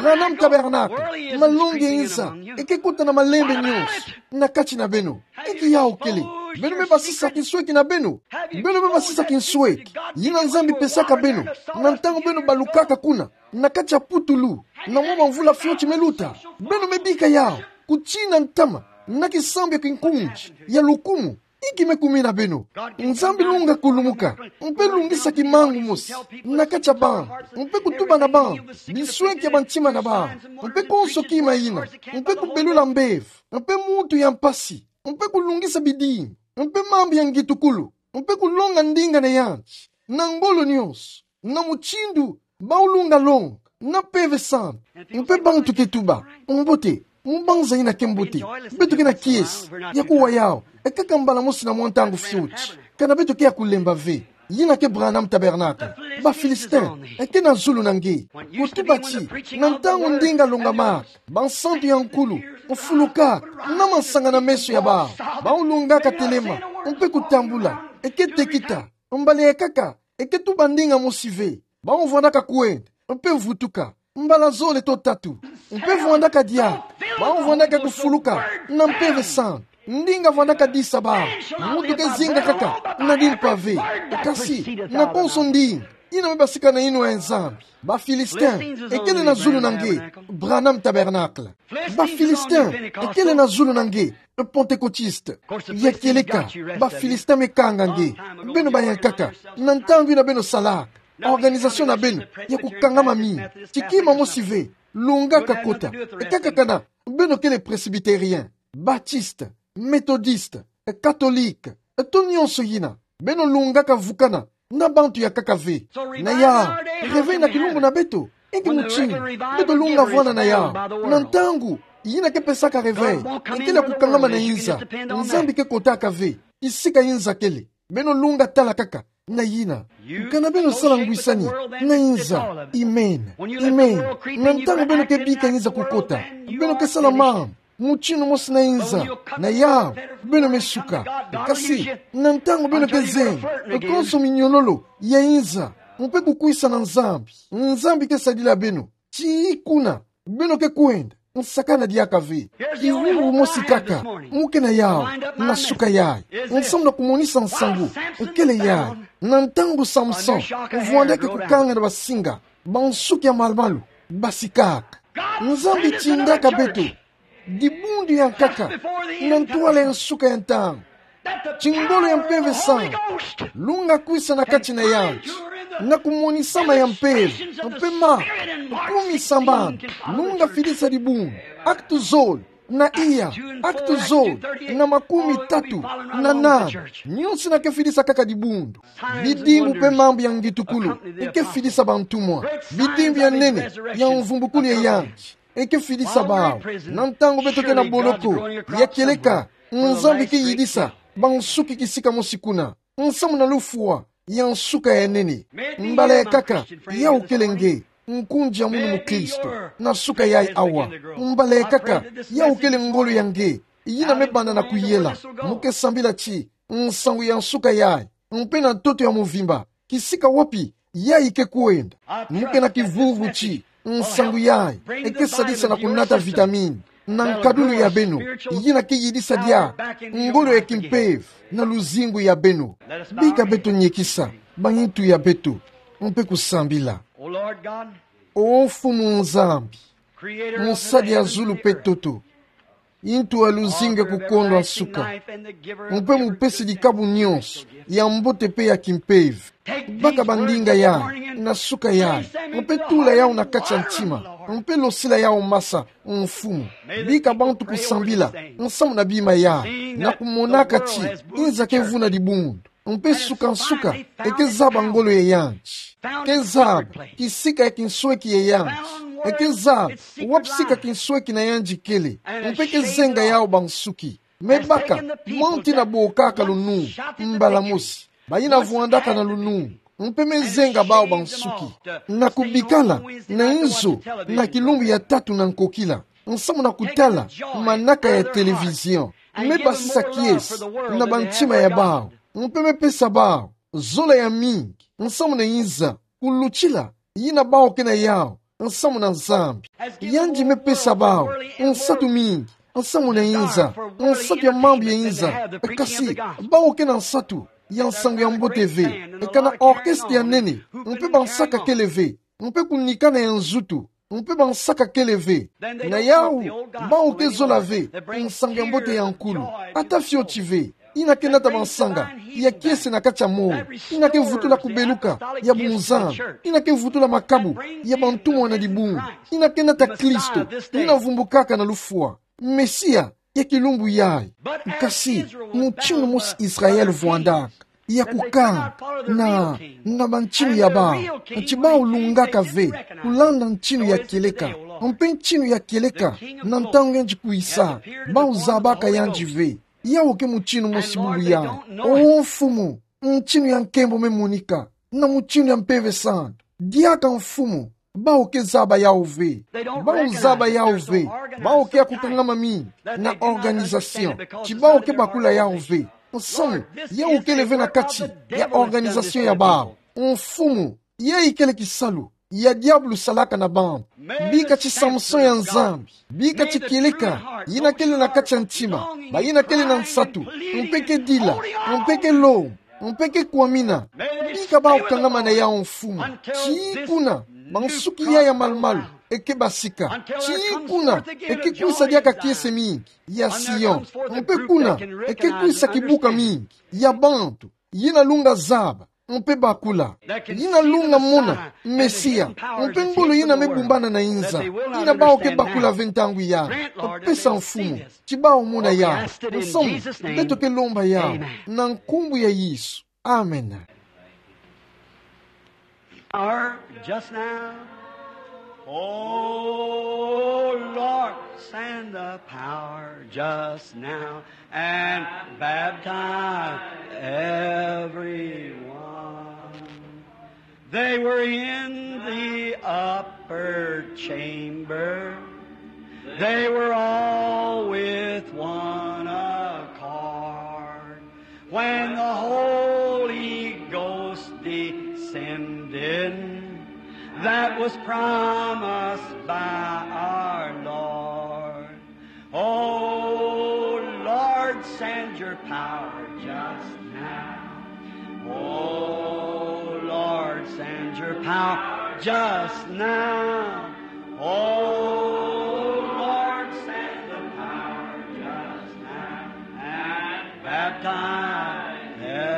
Branham Tabernacle, malongi ya inza eke kota na malembe nyonso na kati na beno. Inki yawu kele? Beno me basisa kinsweki na beno. Beno me basisa kinsweki yina Nzambi pesaka beno na ntangu beno balukaka kuna na kati ya putulu, na mwa bamvula fioti me luta. Beno me bika yawu, kutina ntama na kisambu ya kinkunzi ya lukumu. Inki me kumina beno. Nzambi lunga kulumuka, mpe lungisa kimangu mosi na kati ya bana, mpe kutuba na bana bisweki ya bantima na bana, mpe konso kima ina, mpe kubelula mbevo, mpe mutu ya mpasi, mpe kulungisa bidimbu, mpe mambu ya ngitukulu, mpe kulonga ndinga na yandi, na ngolo nyonso, na mutindu bawu lunga longa na Mpeve Santu. Mpe bantu ke tuba: Mbote, mu mbanza ina ke mbote, beto ke na kiese ya kuwa yawu, e kaka mbala mosi na mwa ntangu fioti. Kana beto ke ya kulemba ve. Ina ke Branham Tabernacle. Ba Philistin, e ke na zulu na nge. Kutuba ti, na ntangu ndinga longamaka, bansantu ya nkulu, mfulukaka na mansanga na meso ya bawu, bawu lungaka telema, mpe kutambula, e ke tekita, mbala ya kaka, e ke tuba ndinga mosi ve. Bawu vwandaka kwenda, mpe vutuka, mbala zole to tatu, mpe vwandaka diaka. Bawu vwandaka kufuluka na Mpeve Santu. Ndinga vwandaka disa bawu. Mutu ke zinga kaka na dimpa ve, kasi na konso ndinga ina me basika na inwa ya Nzambi. Ba Philistin, e kele na zulu na nge, Branham Tabernacle. Ba Philistin, e kele na zulu na nge, Pentecôtiste. Ya kieleka, ba Philistin me kanga nge. Beno bayankaka, na ntangu ina beno salaka, organisation na beno ya kukangama mingi. Ti kima mosi ve lungaka kota, e kaka kana beno kele Presbytérien, Baptiste, Méthodiste, Catholique, to nyonso ina. Beno lungaka vukana na bantu ya kaka ve. Na yawu, réveil na kilumbu na beto, inki mutindu beto lunga vwanda na yawu? Na ntangu ina ke pesaka réveil, e kele ya kukangama na inza. Nzambi ke kotaka ve kisika inza kele. Beno lunga tala kaka na ina. Kana beno sala ngwisani na inza? Amen. Amen. Na ntangu beno ke bika inza kukota, beno ke sala mambu mutindu mosi na inza. Na yawu, beno me suka. Kasi na ntangu beno ke zenga konso minyololo ya inza, mpe kukwisa na Nzambi, Nzambi ke sadila beno. Ti kuna beno ke kwenda, nsakana diaka ve. Kivuvu mosi kaka mu ke na yawu na suka yayi, nsamu na kumonisa nsangu. Kele yayi, na ntangu Samson vwandaki kukanga na basinga, bansuki ya malu-malu basikaka. Nzambi tindaka beto dibundu ya nkaka na ntwala ya nsuka ya ntangu. Ti ngolo ya Mpeve Santu lunga kwisa na kati na yandi, na kumonisama ya mpeve, mpe ma kumi sambanu, lunga fidisa dibundu. Actes zole na iya, Actes zole na makumi tatu na nani, nyonso ina ke fidisa kaka dibundu. Bidimbu mpe mambu ya ngitukulu e ke fidisa bantumwa. Bidimbu ya nene ya mvumbukulu ya yandi e ke fidisa bawu. Na ntangu beto ke na boloko, ya kieleka, Nzambi ke yidisa bansuki kisika mosi kuna, nsamu na lufwa ya nsuka ya nene. Mbala ya kaka, yawu kele nge, nkundi ya munu mukristo, na suka yayi awa. Mbala ya kaka, yawu kele ngolo ya nge, ina me banda na kuyela. Mu ke sambila ti nsangu ya nsuka yayi, mpe na ntoto ya mvimba, kisika wapi yayi ke kwenda. Mu ke na kivuvu ti nsangu yayi e ke sadisa na kunata vitamine na nkadulu ya beno, ina ke yidisa diaka ngolo ya kimpeve na luzingu ya beno. Bika beto niekisa banintu ya beto, mpe kusambila. O Mfumu Nzambi, Mosali ya zulu mpe ntoto, ntu ya luzingu ya kukondwa nsuka, mpe mupesi dikabu nyonso ya mbote mpe ya kimpeve. Baka bandinga yayi na suka yayi, mpe tula yawu na kati ya ntima, mpe losila yawu masa, Mfumu. Bika bantu kusambila nsamu na bima yayi, na kumonaka ti inza ke vuna dibundu, mpe suka nsuka e ke zaba ngolo ya yandi. Ke zaba kisika ya kinsweki ya yandi. E ke zaba wapi sika kinsweki na yandi kele, mpe ke zenga yawu bansuki. Me baka mwa nti na bokaka lunungu mbala mosi, bayina vwandaka na lunungu, mpe me zenga bawu bansuki na kubikala na inzo na kilumbu ya tatu na nkokila, nsamu na kutala manaka ya télévision. Me basisa kiese na bantima ya bawu, mpe me pesa bawu zola ya mingi nsamu na inza, kulutila yina bawu ke na yawu nsamu na Nzambi. Yandi me pesa bawu nsatu mingi nsamu na inza, nsatu ya mambu ya inza. Kasi bawu ke na nsatu ya nsangu ya mbote ve. Kana orchestre ya nene, mpe bansaka kele ve, mpe kunikana ya nzutu, mpe bansaka kele ve. Na yawu, bawu ke zola ve nsangu ya mbote ya nkulu, ata fioti ve. Yina ke nata mansanga ya kiese na kati ya molo. Yina ke vutula kubeluka ya bunzambi. Yina ke vutula makabu ya bantumwa na dibungu. Yina ke nata Kristo, yina vumbukaka na lufwa. Mesia ya kilumbu yayi. Kasi, mutindu mosi Israele vwandaka, ya kukanga na, na bantinu ya bawu, ti bawu lungaka ve kulanda ntinu ya kieleka, mpe ntinu ya kieleka na ntangu yandi kwisa, bawu zabaka yandi ve. Yawu ke mutindu mosi bubu yayi. O Mfumu, ntinu ya nkembo me monika na mutindu ya Mpeve Santu. Diaka Mfumu, bawu ke zaba yawu ve. Bawu zaba yawu ve. Bawu ke ya kukangama mingi na organisation, ti bawu ke bakula yawu ve. Nsamu, yawu kele ve na kati ya organisation ya bawu. Mfumu, yayi kele kisalu ya diabulu salaka na bantu. Bika ti Samson ya Nzambi, bika ti kieleka yina kele na kati ya ntima, bayina kele na nsatu, mpe ke dila, mpe ke lomba, mpe ke kwamina. Bika bawu kangama na yawu Mfumu, tii kuna bansuki yayi ya malumalu e ke basika. Tii kuna e ke kwisa diaka kiese mingi ya Sion, mpe kuna e ke kwisa kibuka mingi ya bantu yina lunga zaba, mpe bakula. Yina lunga mona Mesia, mpe ngolo yina me bumbana na inza, yina bawu ke bakula ve ntangu yayi. Pesa Mfumu, ti bawu mona yawu. Nsamu, beto ke lomba yawu na nkumbu ya Yesu. Amen. Power just now. Oh Lord, send the power just now and baptize everyone. They were in the upper chamber. They were all with one accord. When the Holy Ghost descended, that was promised by our Lord. Oh Lord, send your power just now. Oh Lord, send your power just now. Oh Lord, send the power just now and baptize everyone.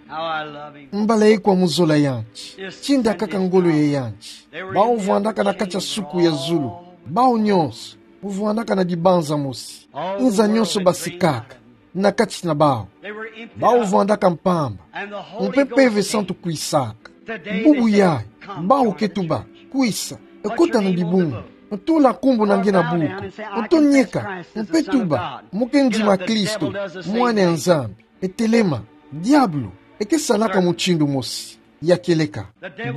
How I love him. Mbala ye kwa muzola yandi. Tinda kaka ngolo ya yandi. Bawu vwandaka na kati ya suku ya zulu. Bawu nyonso vwandaka na dibanza mosi. Inza nyonso basikaka na kati na bawu. Bawu vwandaka mpamba. Mpe Mpeve Santu kwisaka. Bubu yayi, bawu ke tuba, kwisa, kota na dibungu, tula nkumbu na nge na buku, tonieka, mpe tuba, mu ke ndima Kristo, Mwana ya Nzambi. E telema. Diabulu e ke salaka mutindu mosi ya kieleka.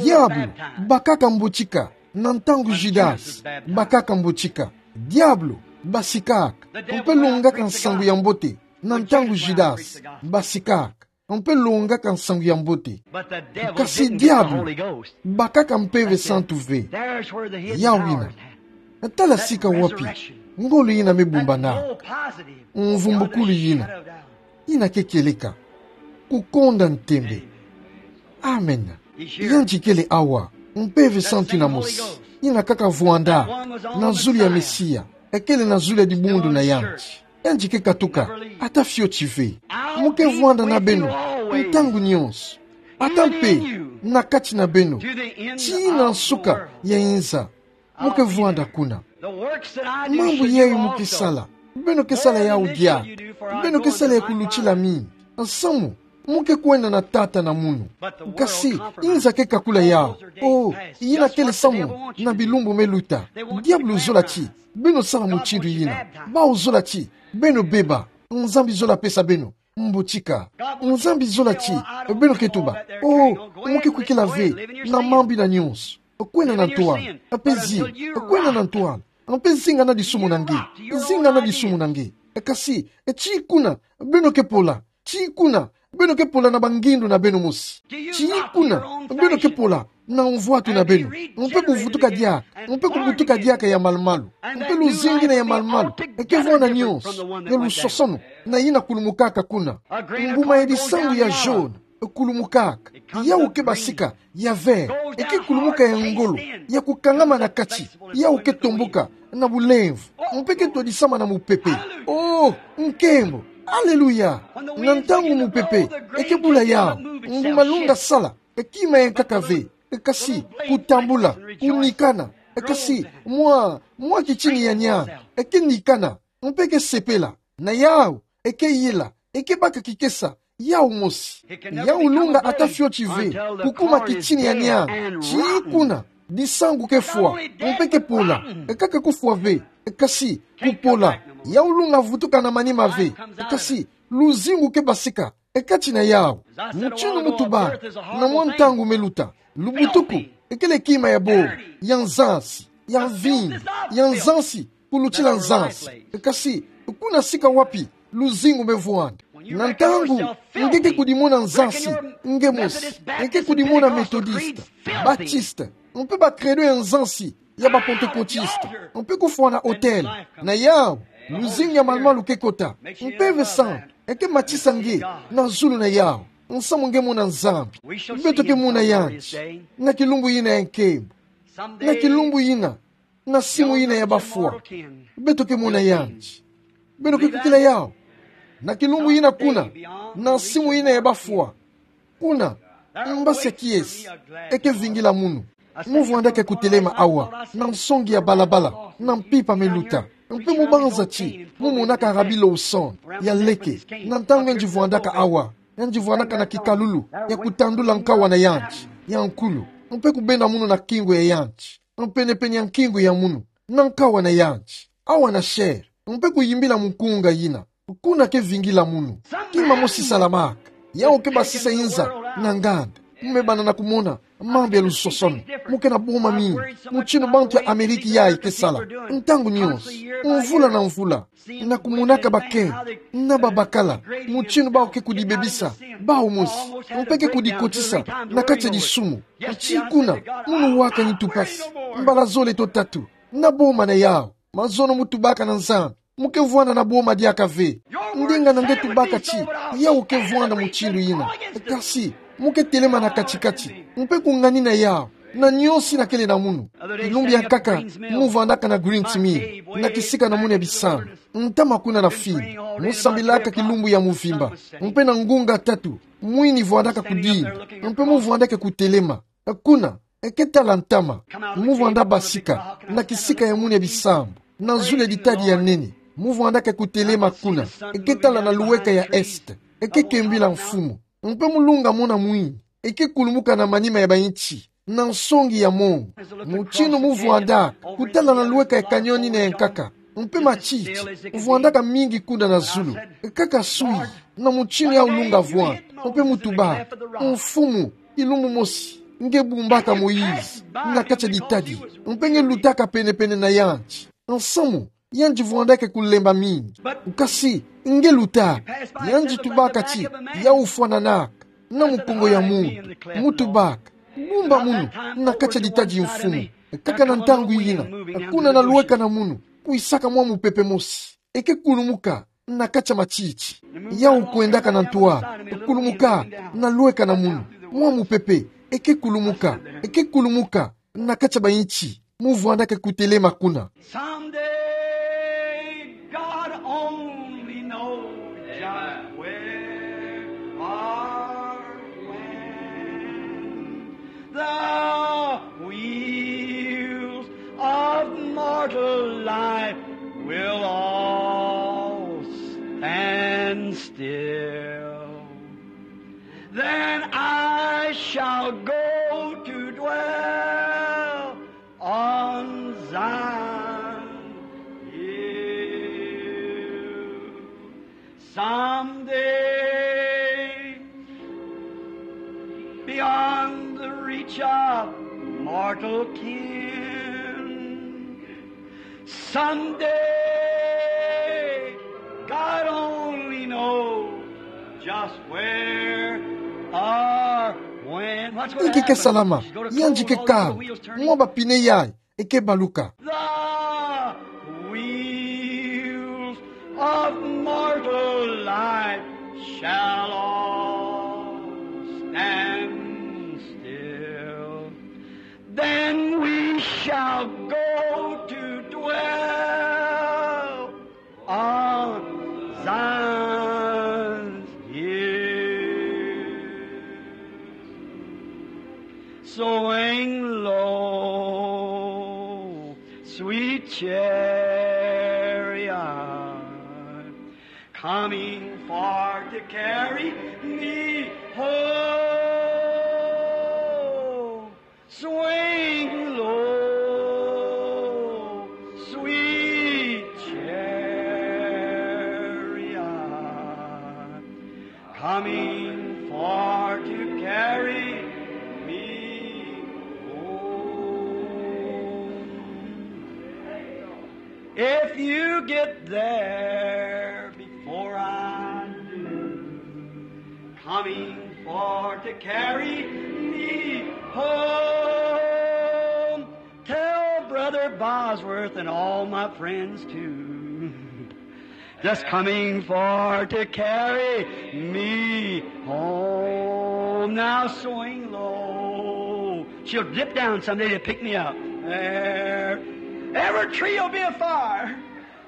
Diabulu bakaka mbotika na ntangu Judas bakaka mbotika. Diabulu basikaka, mpe longaka nsangu ya mbote na ntangu Judas basikaka, mpe longaka nsangu ya mbote. Kasi diabulu bakaka Mpeve Santu ve. Yawu yina. Tala sika wapi ngolo yina me bumbana. Mvumbukulu yina. Yina ke kieleka. Kukonda ntembe. Amen. Yandi kele awa. Mpeve Santu yina mosi. Yina kaka vwanda na zulu ya Mesia. E kele na zulu ya dibundu na yandi. Yandi ke katuka, ata fioti ve. Mu ke vwanda na beno ntangu nyonso. Ata mpe na kati na beno, tii na nsuka ya inza. Mu ke vwanda kuna. Mambu yayi mu ke sala, beno ke sala yawu diaka. Beno ke sala ya kulutila mingi. Nsamu, mu ke kwenda na Tata na munu. Kasi inza ke kakula yawu. Oh, yina kele samu na bilumbu me luta. Diabulu zola ti beno sala mutindu yina. Bawu zola ti beno beba. Nzambi zola pesa beno mbotika. Nzambi zola ti beno ke tuba, oh, mu ke kwikila ve na mambu yina nyonso. Kwenda na ntwala, mpe zinga. Kwenda na ntwala, mpe zinga na disumu na nge. Zinga na disumu na nge. Kasi tii kuna beno ke pola. Tii kuna beno ke pola na bangindu na beno mosi. Tii kuna beno ke pola na mvwatu na beno. Mpe kuvutuka diaka, mpe kubutuka diaka ya malumalu. Mpe luzingu yina ya malumalu e ke vwanda nyonso, ya lusosono, na yina kulumukaka kuna. Mbuma ya disangu ya jaune Kulumukaka. Yawu ke basika, ya vert, eke kulumuka ya ngolo, ya kukangama na kati, yawu ke tomboka na bulemvo, mpe ke twadisama na mupepe. Oh, nkembo! Aleluya! Na ntangu mupepe eke bula yawu, ngu malunga sala, kima ya nkaka ve, kasi kutambula, kunikana, kasi mwa, mwa kitini ya nianga eke nikana, mpe ke sepela. Na yawu eke yela, eke baka kikesa, yawu mosi. Yawu lunga ata fioti ve kukuma kitini ya nianga, tii kuna disangu ke fwa, mpe ke pola, kaka kufwa ve, kasi kupola. Yawu lunga vutuka na manima ve, kasi luzingu ke basika kati na yawu. Mutinu mutuba, na mwa ntangu meluta, lubutuku ekele kima ya bo, ya nzansi, ya mvinyo, ya nzansi, kulutila nzansi. Kasi kuna sika wapi luzingu mevwanda? Na ntangu nge ke kudimona nzansi, nge mosi, nge ke kudimona Methodiste, Baptiste, mpe ba credo ya nzansi ya ba Pentecôtiste, mpe kufwa na autel, na yawu, luzingu ya malumalu ke kota, mpe Vincent eke matisa nge na zulu na yawu. Nsamu nge mona Nzambi. Beto ke mona yandi na kilumbu yina ya nkembo, na kilumbu yina, na simu yina ya bafwa. Beto ke mona yandi. Beno ke kukila yawu? Na kilumbu yina kuna, na simu yina ya bafwa, kuna, mbasi ya kiese eke vingila munu. Muvwandaka kutelema awa, na nsongi ya balabala, na mpimpa meluta, mpe mubanza ti mumonaka Rabbi Lawson ya leke, na ntangu yandi vwandaka awa, yandi vwandaka na kikalulu ya kutandula nkawa na yandi ya nkulu, mpe kubenda munu na kingu ya yandi, mpenepene ya nkingu ya munu, na nkawa na yandi, awa na chaire, mpe kuyimbila mukunga yina. Kuna ke vingila munu. Kima mosi salamaka. Yawu ke basisa inza na nganda. Mebana na kumona mambu ya lusosono. Mu ke na boma mingi, mutinu bantu ya Ameriki yayi ke sala, ntangu nionso, mvula na mvula, na kumonaka bakento na babakala, mutinu bawu ke kudibebisa bawu mosi, mpe ke kudikotisa na kati ya disumu. Tii kuna, munu wakani ntu mpasi, mbala zole to tatu, na boma na yawu. Mazono mutubaka na Nzambi, mu ke vwanda na boma diaka ve. Ndinga na nge tubaka ti yawu ke vwanda mutindu yina. Kasi mu ke telema na kati-kati, mpe kunganina yawu na nionso yina kele na munu. Kilumbu ya nkaka, muvwandaka na Greens Mill, na kisika na munu ya bisambu, ntama kuna na fini. Musambilaka kilumbu ya muvimba, mpe na ngunga tatu, mwini vwandaka kudinda, mpe muvwandaka kutelema. Kuna, eke tala ntama, muvwanda basika na kisika ya munu ya bisambu, na zulu ya ditadi ya nene. Muvwandaka kutelema kuna, eke tala na luweka ya est, eke kembila Mfumu. Mpe mulunga mona mwini eke kulumuka na manima ya bainti, na nsongi ya mongo. Mutinu muvwandaka kutala na luweka ya canyon yina ya nkaka, mpe matiti muvwandaka mingi kuna na zulu. Kaka sui, na mutinu yawu lunga vwanda, mpe mutubaka: Mfumu, kilumbu mosi nge bumbaka Moïse na kati ya ditadi, mpe nge lutaka pene-pene na yandi. Nsamu, yandi vwandaka kulemba mingi. Kasi nge lutaka. Yandi tubaka ti yawu fwananaka na mukongo ya muntu. Mutubaka: Bumba munu na kati ya ditadi, Mfumu. Kaka na ntangu yina, kuna na luweka na munu, kwisaka mwa mupepe mosi eke kulumuka na kati ya matiti. Yawu kwendaka na ntwala, kulumuka na luweka na munu. Mwa mupepe eke kulumuka, eke kulumuka na kati ya bainti. Muvwandaka kutelema kuna. Someday, God only knows just where or when. The wheels of mortal life will all stand still. Then I shall go to dwell on Zion hill. Someday, beyond the reach of mortal ken, someday, God only knows just where or when. Inki ke salama? Yandi ke kala mwa bapine yayi eke baluka. The wheels of mortal life shall all Shall go to dwell on Zion's hill. Swing low, sweet chariot, coming far to carry me home. Swing low, sweet chariot, coming far to carry me home. If you get there before I do, coming far to carry me home, tell Brother Bosworth and all my friends too. Just coming far to carry me home. Now swing low. She'll dip down someday to pick me up. There. Every tree will be afire.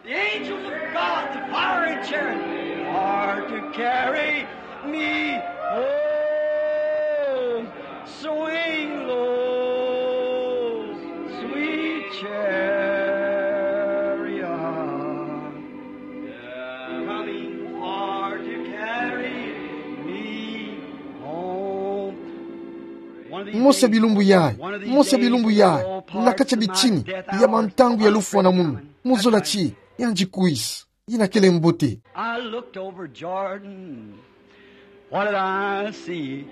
The angels of God, the fire and chariot, are to carry me home. Swing low, sweet chariot, coming far to carry me home. Mose bilumbu yayi, mose bilumbu yayi, na kati ya bitini ya mantangu ya lufwa na munu, mu zola ti, yandi kwisa, yina kele mbote. I looked over Jordan. What did I see?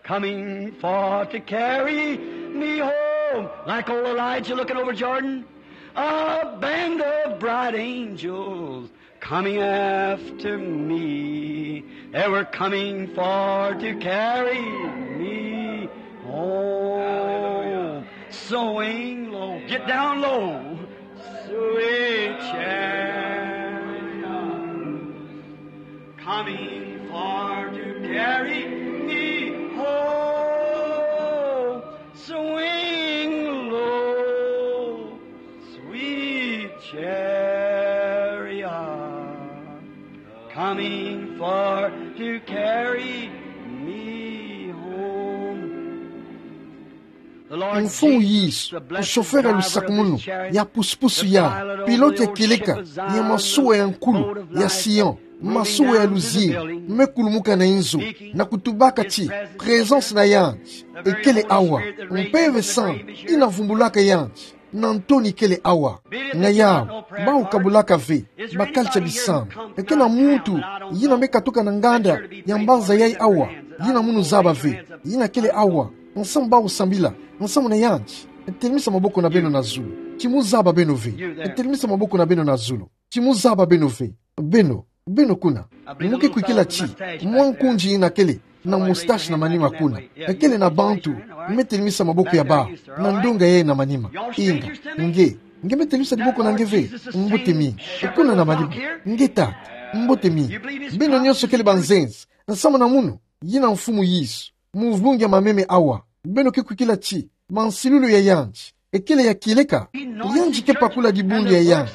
Coming forth to carry me home. Like old Elijah looking over Jordan. A band of bright angels coming after me. They were coming forth to carry me home. Swing low. Get down low. Sweet chariot, coming forth to carry me home. Swing low, sweet chariot, coming forth to carry me home. Mfumu Yesu, chauffeur ya lusakumunu, ya pusupusu yayi, pilote ya kieleka ya masuwa ya nkulu ya Sion, masuwa ya luzieri, me kulumuka na inzo, na kutubaka ti présence na yandi ekele awa. Mpeve Santu yina vumbulaka yandi, na ntoni kele awa. Na yawu, bawu kabulaka ve, bakala tia bisambi. Ekena muntu yina me katuka na nganda ya mbanza yayi awa, yina munu zaba ve, yina kele awa. Nsamu bawu sambila, nsamu na yandi. Telimisa maboko na beno na zulu. Ti mu zaba beno ve. Telimisa maboko na beno na zulu. Ti mu zaba beno ve. Beno, beno kuna. Mu ke kwikila ti mwa nkundi yina kele na moustache na manima kuna. Ekele na bantu me telimisa maboko ya bawu na ndonga yayi na manima. Inga, nge, nge me telimisa diboko na nge ve? Mbote mingi. Kuna na manima. Nge tata, mbote mingi. Beno nyonso kele banzenza. Nsamu na munu, yina Mfumu Yesu, mu vungi ya mameme awa. Beno ke kwikila ti mansilulu ya yandi ekele ya kieleka? Yandi ke pakula dibundu ya yandi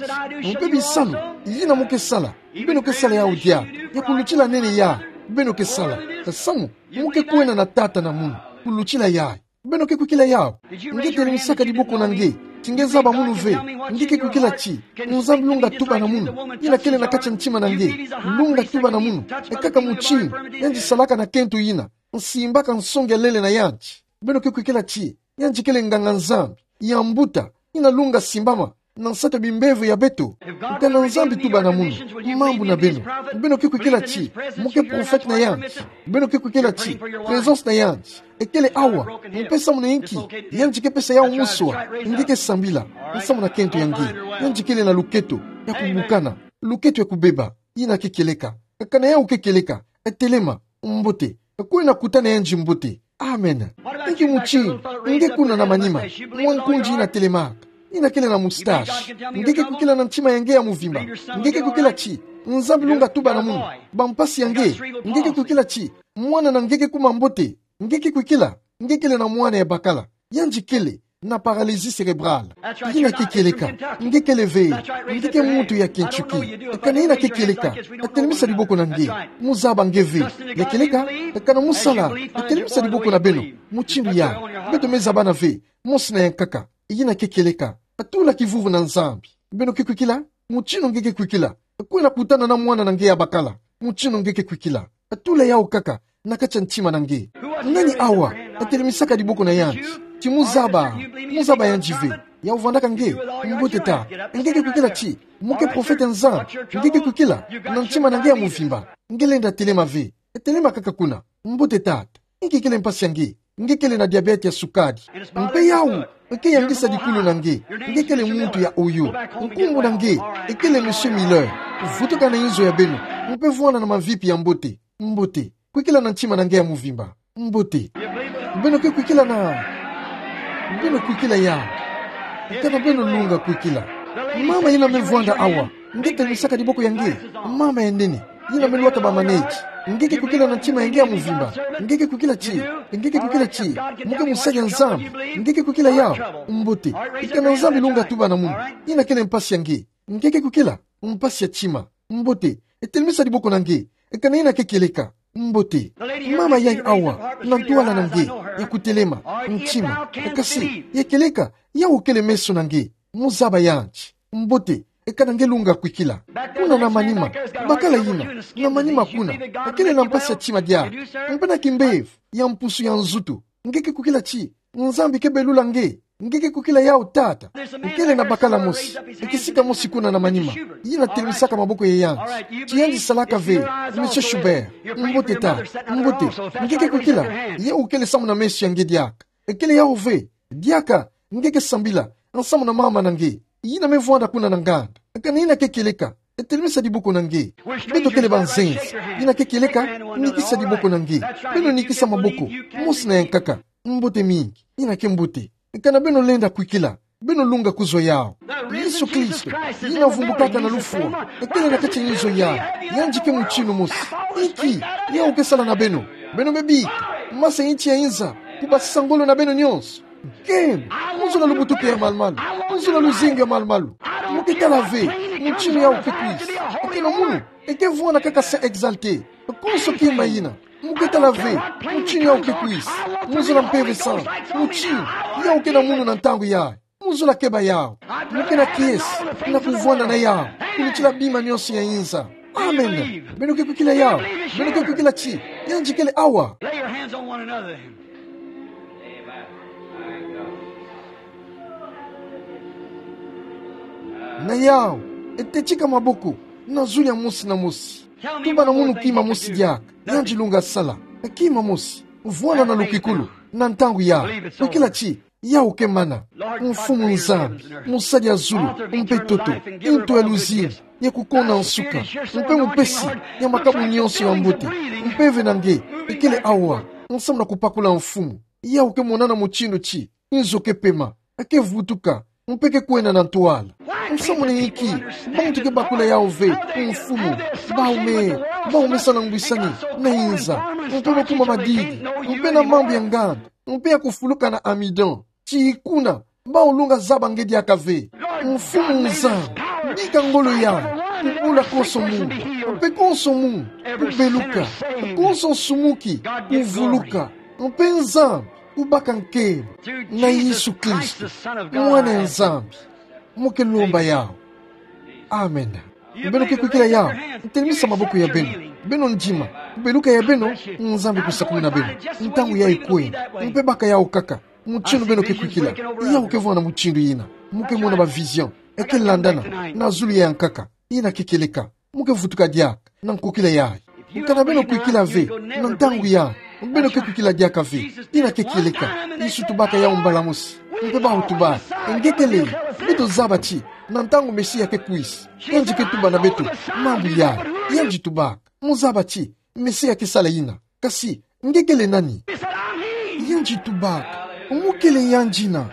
mpe bisalu yina mu ke sala. Beno ke sala yawu dialu, ya kulutila nene yayi. Beno ke sala. Nsamu mu ke kwena na tata na munu kulutila yayi. Beno ke kwikila yawu? Nge telimisaka diboko na nge ti nge zaba munu ve? Nge ke kwikila ti Nzambi lunga tuba na munu yina kele na kati ya ntima na nge? Lunga tuba na munu. Ekaka mutindu yandi salaka na kento yina, nsimbaka nsongi ya lele na yandi. Beno ke kwikila ti yandi kele nganga-Nzambi ya mbuta yina lunga simbama na nsatu ya bimbevo ya beto? Tala Nzambi tuba na munu mambu na beno. Beno ke kwikila ti mu ke prophète na yandi? Beno ke kwikila ti présence na yandi ekele awa? Mpe samu na inki yandi ke pesa yawu muswa? Nge ke sambila. Nsamu na kento ya nge, yandi kele na luketo ya kubukana, luketo ya kubeba. Yina ke kieleka. Kana yawu ke kieleka. Telema. Mbote. Kwena kutana yandi mbote. Amen. Inki mutindu nge kuna na manima, mwa nkundi yina telemaka, yina kele na moustache? Nge ke kwikila na ntima ya nge ya muvimba? Nge ke kwikila ti Nzambi lunga tuba na munu bampasi ya nge? Nge ke kwikila ti mwana na nge ke kuma mbote? Nge ke kwikila? Nge kele na mwana ya bakala. Yandi kele na paralysie cérébrale. Yina ke kieleka. Nge kele ve. Nge ke muntu ya Kentucky. Eka na yina ke kieleka. Telemisa diboko na nge. Muzaba nge ve. Ya kieleka. Eka na musala. Telemisa diboko na beno. Mutindu ya. Beto me zabana ve. Mosi na yankaka. Yina ke kieleka. Tula kivuvu na Nzambi. Beno ke kwikila? Mutindu nge ke kwikila. Kwenda kutana na mwana na nge ya bakala. Mutindu nge ke kwikila. Tula yawu kaka na kati ya ntima na nge. Nani awa atelemisaka diboko na yandi? Ti muzaba. Muzaba yandi ve. Yawu vandaka nge. Mbote tata. Nge ke kwikila ti mu ke profete ya Nzambi? Nge ke kwikila? Na ntima na nge ya muvimba. Nge lenda telema ve. Telema kaka kuna. Mbote tata. Nge kele mpasi ya nge. Nge kele na diabète ya sukali. Mpe yawu eke yangisa dikulu na nge. Nge kele muntu ya Oyo. Nkumbu na nge ekele Monsieur Miller. Vutuka na inzo ya beno. Mpe vwanda na mavipi ya mbote. Mbote. Kwikila na ntima na nge ya muvimba. Mbote. Beno ke kwikila na. Beno kwikila ya. Eka na beno lunga kwikila. Mama yina me vwanda awa. Nge telemisaka diboko ya nge. Mama ya nene. Yina me lwata ba maneti. Nge ke kwikila na ntima ya nge ya muvimba? Nge ke kwikila ti. Nge ke kwikila ti mu ke musali ya Nzambi? Nge ke kwikila yawu? Mbote. Eka na Nzambi lunga tuba na munu. Yina kele mpasi ya nge. Nge ke kwikila? Mpasi ya ntima. Mbote. Telemisa diboko na nge. Eka na yina ke kieleka. Mbote. Mama yayi awa na ntwala na nge ya kutelema, ntima. Kasi ya kieleka, yawu kele meso na nge. Muzaba yandi. Mbote. Eka na nge lunga kwikila. Kuna na manima. Bakala yina. Na manima kuna. Kele na mpasi ya ntima diaka. Mpe na kimbevo ya mpusu ya nzutu. Nge ke kwikila ti Nzambi ke belula nge? Nge ke kwikila yawu tata? Kele na bakala mosi. Kisika mosi kuna na manima. Yina telemisaka maboko ya yandi. Ti yandi salaka ve. Monsieur Schubert. Mbote tata. Mbote. Nge ke kwikila? Yawu kele samu na meso ya nge diaka. Kele yawu ve. Diaka. Nge ke sambila nsamu na mama na nge. Yina me vwanda kuna na nganda. Eka na yina ke kieleka. Telemisa diboko na nge. Beto kele banzenza. Yina ke kieleka. Nikisa diboko na nge. Beno nikisa maboko. Mosi na yankaka. Mbote mingi. Yina ke mbote. Eka na beno lenda kwikila, beno lunga kuzwa yawu. Yesu Kristo, yina vumbukaka na lufwa, kele na kati ya inzo yayi. Yandi ke mutindu mosi. Inki yawu ke sala na beno? Beno me bika, masa inti ya inza, kubasisa ngolo na beno nyonso. Nkembo, mu zula lubutuki ya malumalu, mu zula luzingu ya malumalu. Mu ke tala ve mutindu yawu ke kwisa. Eke na munu, eke vwanda kaka Saint Exalté. Konso kima yina. Mu ke tala ve mutindu yawu ke kwisa. Mu zula mpeve sana. Mutindu yawu ke na munu na ntangu yayi. Mu zula keba yawu. Mu ke na kiese na kuvwanda na yawu. Kulutila bima nyonso ya inza. Amen. Beno ke kwikila yawu? Beno ke kwikila ti yandi kele awa? Lay your hands on one another. Na yawu, tetika maboko na zulu ya mosi na mosi. Tuba na munu kima mosi diaka yandi lunga sala. Kima mosi. Vwanda na lukikulu na ntangu yayi. Kwikila ti yawu ke mana. Mfumu Nzambi, mosali ya zulu mpe ntoto, nto ya luzingu, ya kukona nsuka, mpe mupesi ya makabu nyonso ya mbote. Mpeve na nge ekele awa, nsamu na kubakula mfumu. Yawu ke monana mutindu ti inzo ke pema, ke vutuka, mpe ke kwenda na ntwala. Nsamu na inki bantu ke bakula yawu ve, mfumu? Bawu me, bawu me sa na ngwisani na inza, mpe bakuma madidi, mpe na mambu ya nganda, mpe ya kufuluka na amidon. Ti kuna, bawu lunga zaba nge diaka ve. Mfumu Nzambi, bika ngolo yayi, kubula konso munu, mpe konso munu kubeluka, konso nsumuki kuvuluka, mpe Nzambi kubaka nkembo na Yesu Kristo, Mwana ya Nzambi. Mu ke lomba yawu. Amen. Beno ke kwikila yawu, telemisa maboko ya beno. Beno ndima kubeluka ya beno, Nzambi kusakumuna beno. Ntangu yayi kwenda, mpe baka yawu kaka. Mutindu beno ke kwikila, yawu ke vwanda mutindu yina. Mu ke mona ba vision eke landana na zulu ya yankaka. Yina ke kieleka. Mu ke vutuka diaka na nkokila yayi. Kana beno kwikila ve na ntangu yayi, beno ke kwikila diaka ve. Yina ke kieleka. Yesu tubaka yawu mbala mosi, mpe bawu tubaka. Nge kele? Beto zaba ti na ntangu Mesia ke kwisa, yandi ke tuba na beto mambu yayi. Yandi tubaka. Mu zaba ti Mesia ke sala yina. Kasi nge kele nani? Yandi tubaka: Mu kele yandi yina.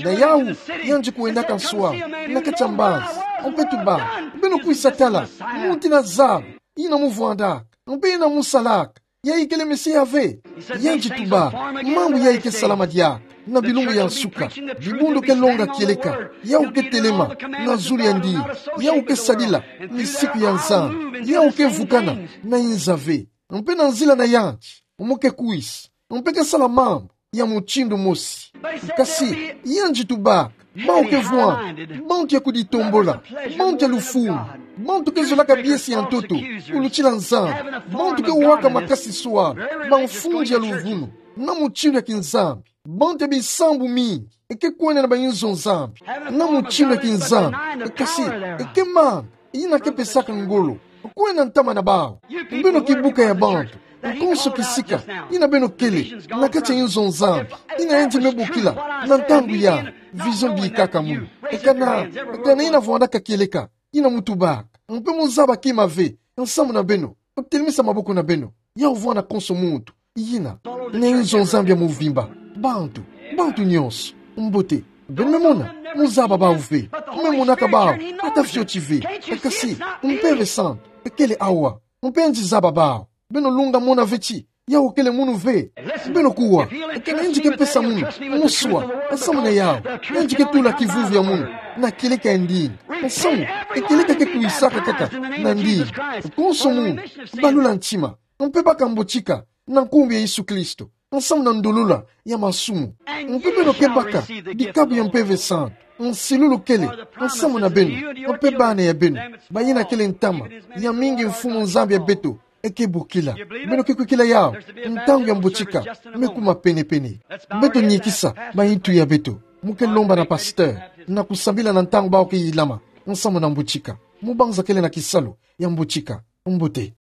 Na yawu, yandi kwendaka nswalu na kati ya mbanza, mpe tubaka: Beno kwisa tala muntu yina zaba, yina mu vwandaka, mpe yina mu salaka. Yayi kele Mesia ve? Yandi tubaka: Mambu yayi ke salama diaka. na bilumbu ya nsuka, dibundu ke longa kieleka, yawu ke telema na zulu ya ndinga, yawu ke sadila misiku ya Nzambi, yawu ke vukana na inza ve. Mpe na nzila na yandi, mu ke kwisa, mpe ke sala mambu ya mutindu mosi. Kasi yandi tubaka bawu ke vwanda, bantu ya kuditombola, bantu ya lufumu, bantu ke zolaka biesi ya ntoto, kulutila Nzambi, bantu ke waka makasi swala, bamfundi ya luvunu, na mutindu ya kinzambi, bantu ya bisambu mingi, e ke kwenda na bayinzo Nzambi, na mutindu ya kinzambi, e kasi, e ke mambu yina ke pesaka ngolo kwenda ntama na bawu. Beno ki buka ya bantu, konso kisika, yina beno kele na kati ya inzo Nzambi, yina yandi me bokila na ntangu ya vision bikaka munu. E kana, e kana yina vwandaka kieleka, yina mu tubaka, mpe mu zaba kima ve nsamu na beno, telemisa maboko na beno, yawu vwanda konso muntu. Yina, na inzo Nzambi ya muvimba, bantu, bantu nyonso, mbote, beno me mona, mu zaba bawu ve, me monaka bawu ata fioti ve, e kasi, Mpeve Santu e kele awa, mpe yandi zaba bawu. Beno lunga mona ve ti yawu kele munu ve. Beno kuwa, e kana yandi ke pesa munu muswa, nsamu na yawu, yandi ke tula kivuvi ya munu na kieleka ya ndinga, nsamu, e kieleka ke kwisaka kaka na ndinga. Konso munu, balula ntima, mpe baka mbotika na nkumbu ya Yesu Kristo, nsamu na ndolula ya masumu. Mpe beno ke baka dikabu ya Mpeve Santu, nsilulu kele nsamu na beno, mpe bana ya beno, bayina kele ntama ya mingi Mfumu Nzambi ya beto e ke bokila. Beno ke kwikila yawu, ntangu ya mbotika me kuma penepene. Beto niekisa bayitu ya beto, mu ke lomba na pasteur, na kusambila na ntangu bawu ke yilama nsamu na mbotika, mu banza kele na kisalu ya mbotika. Mbote.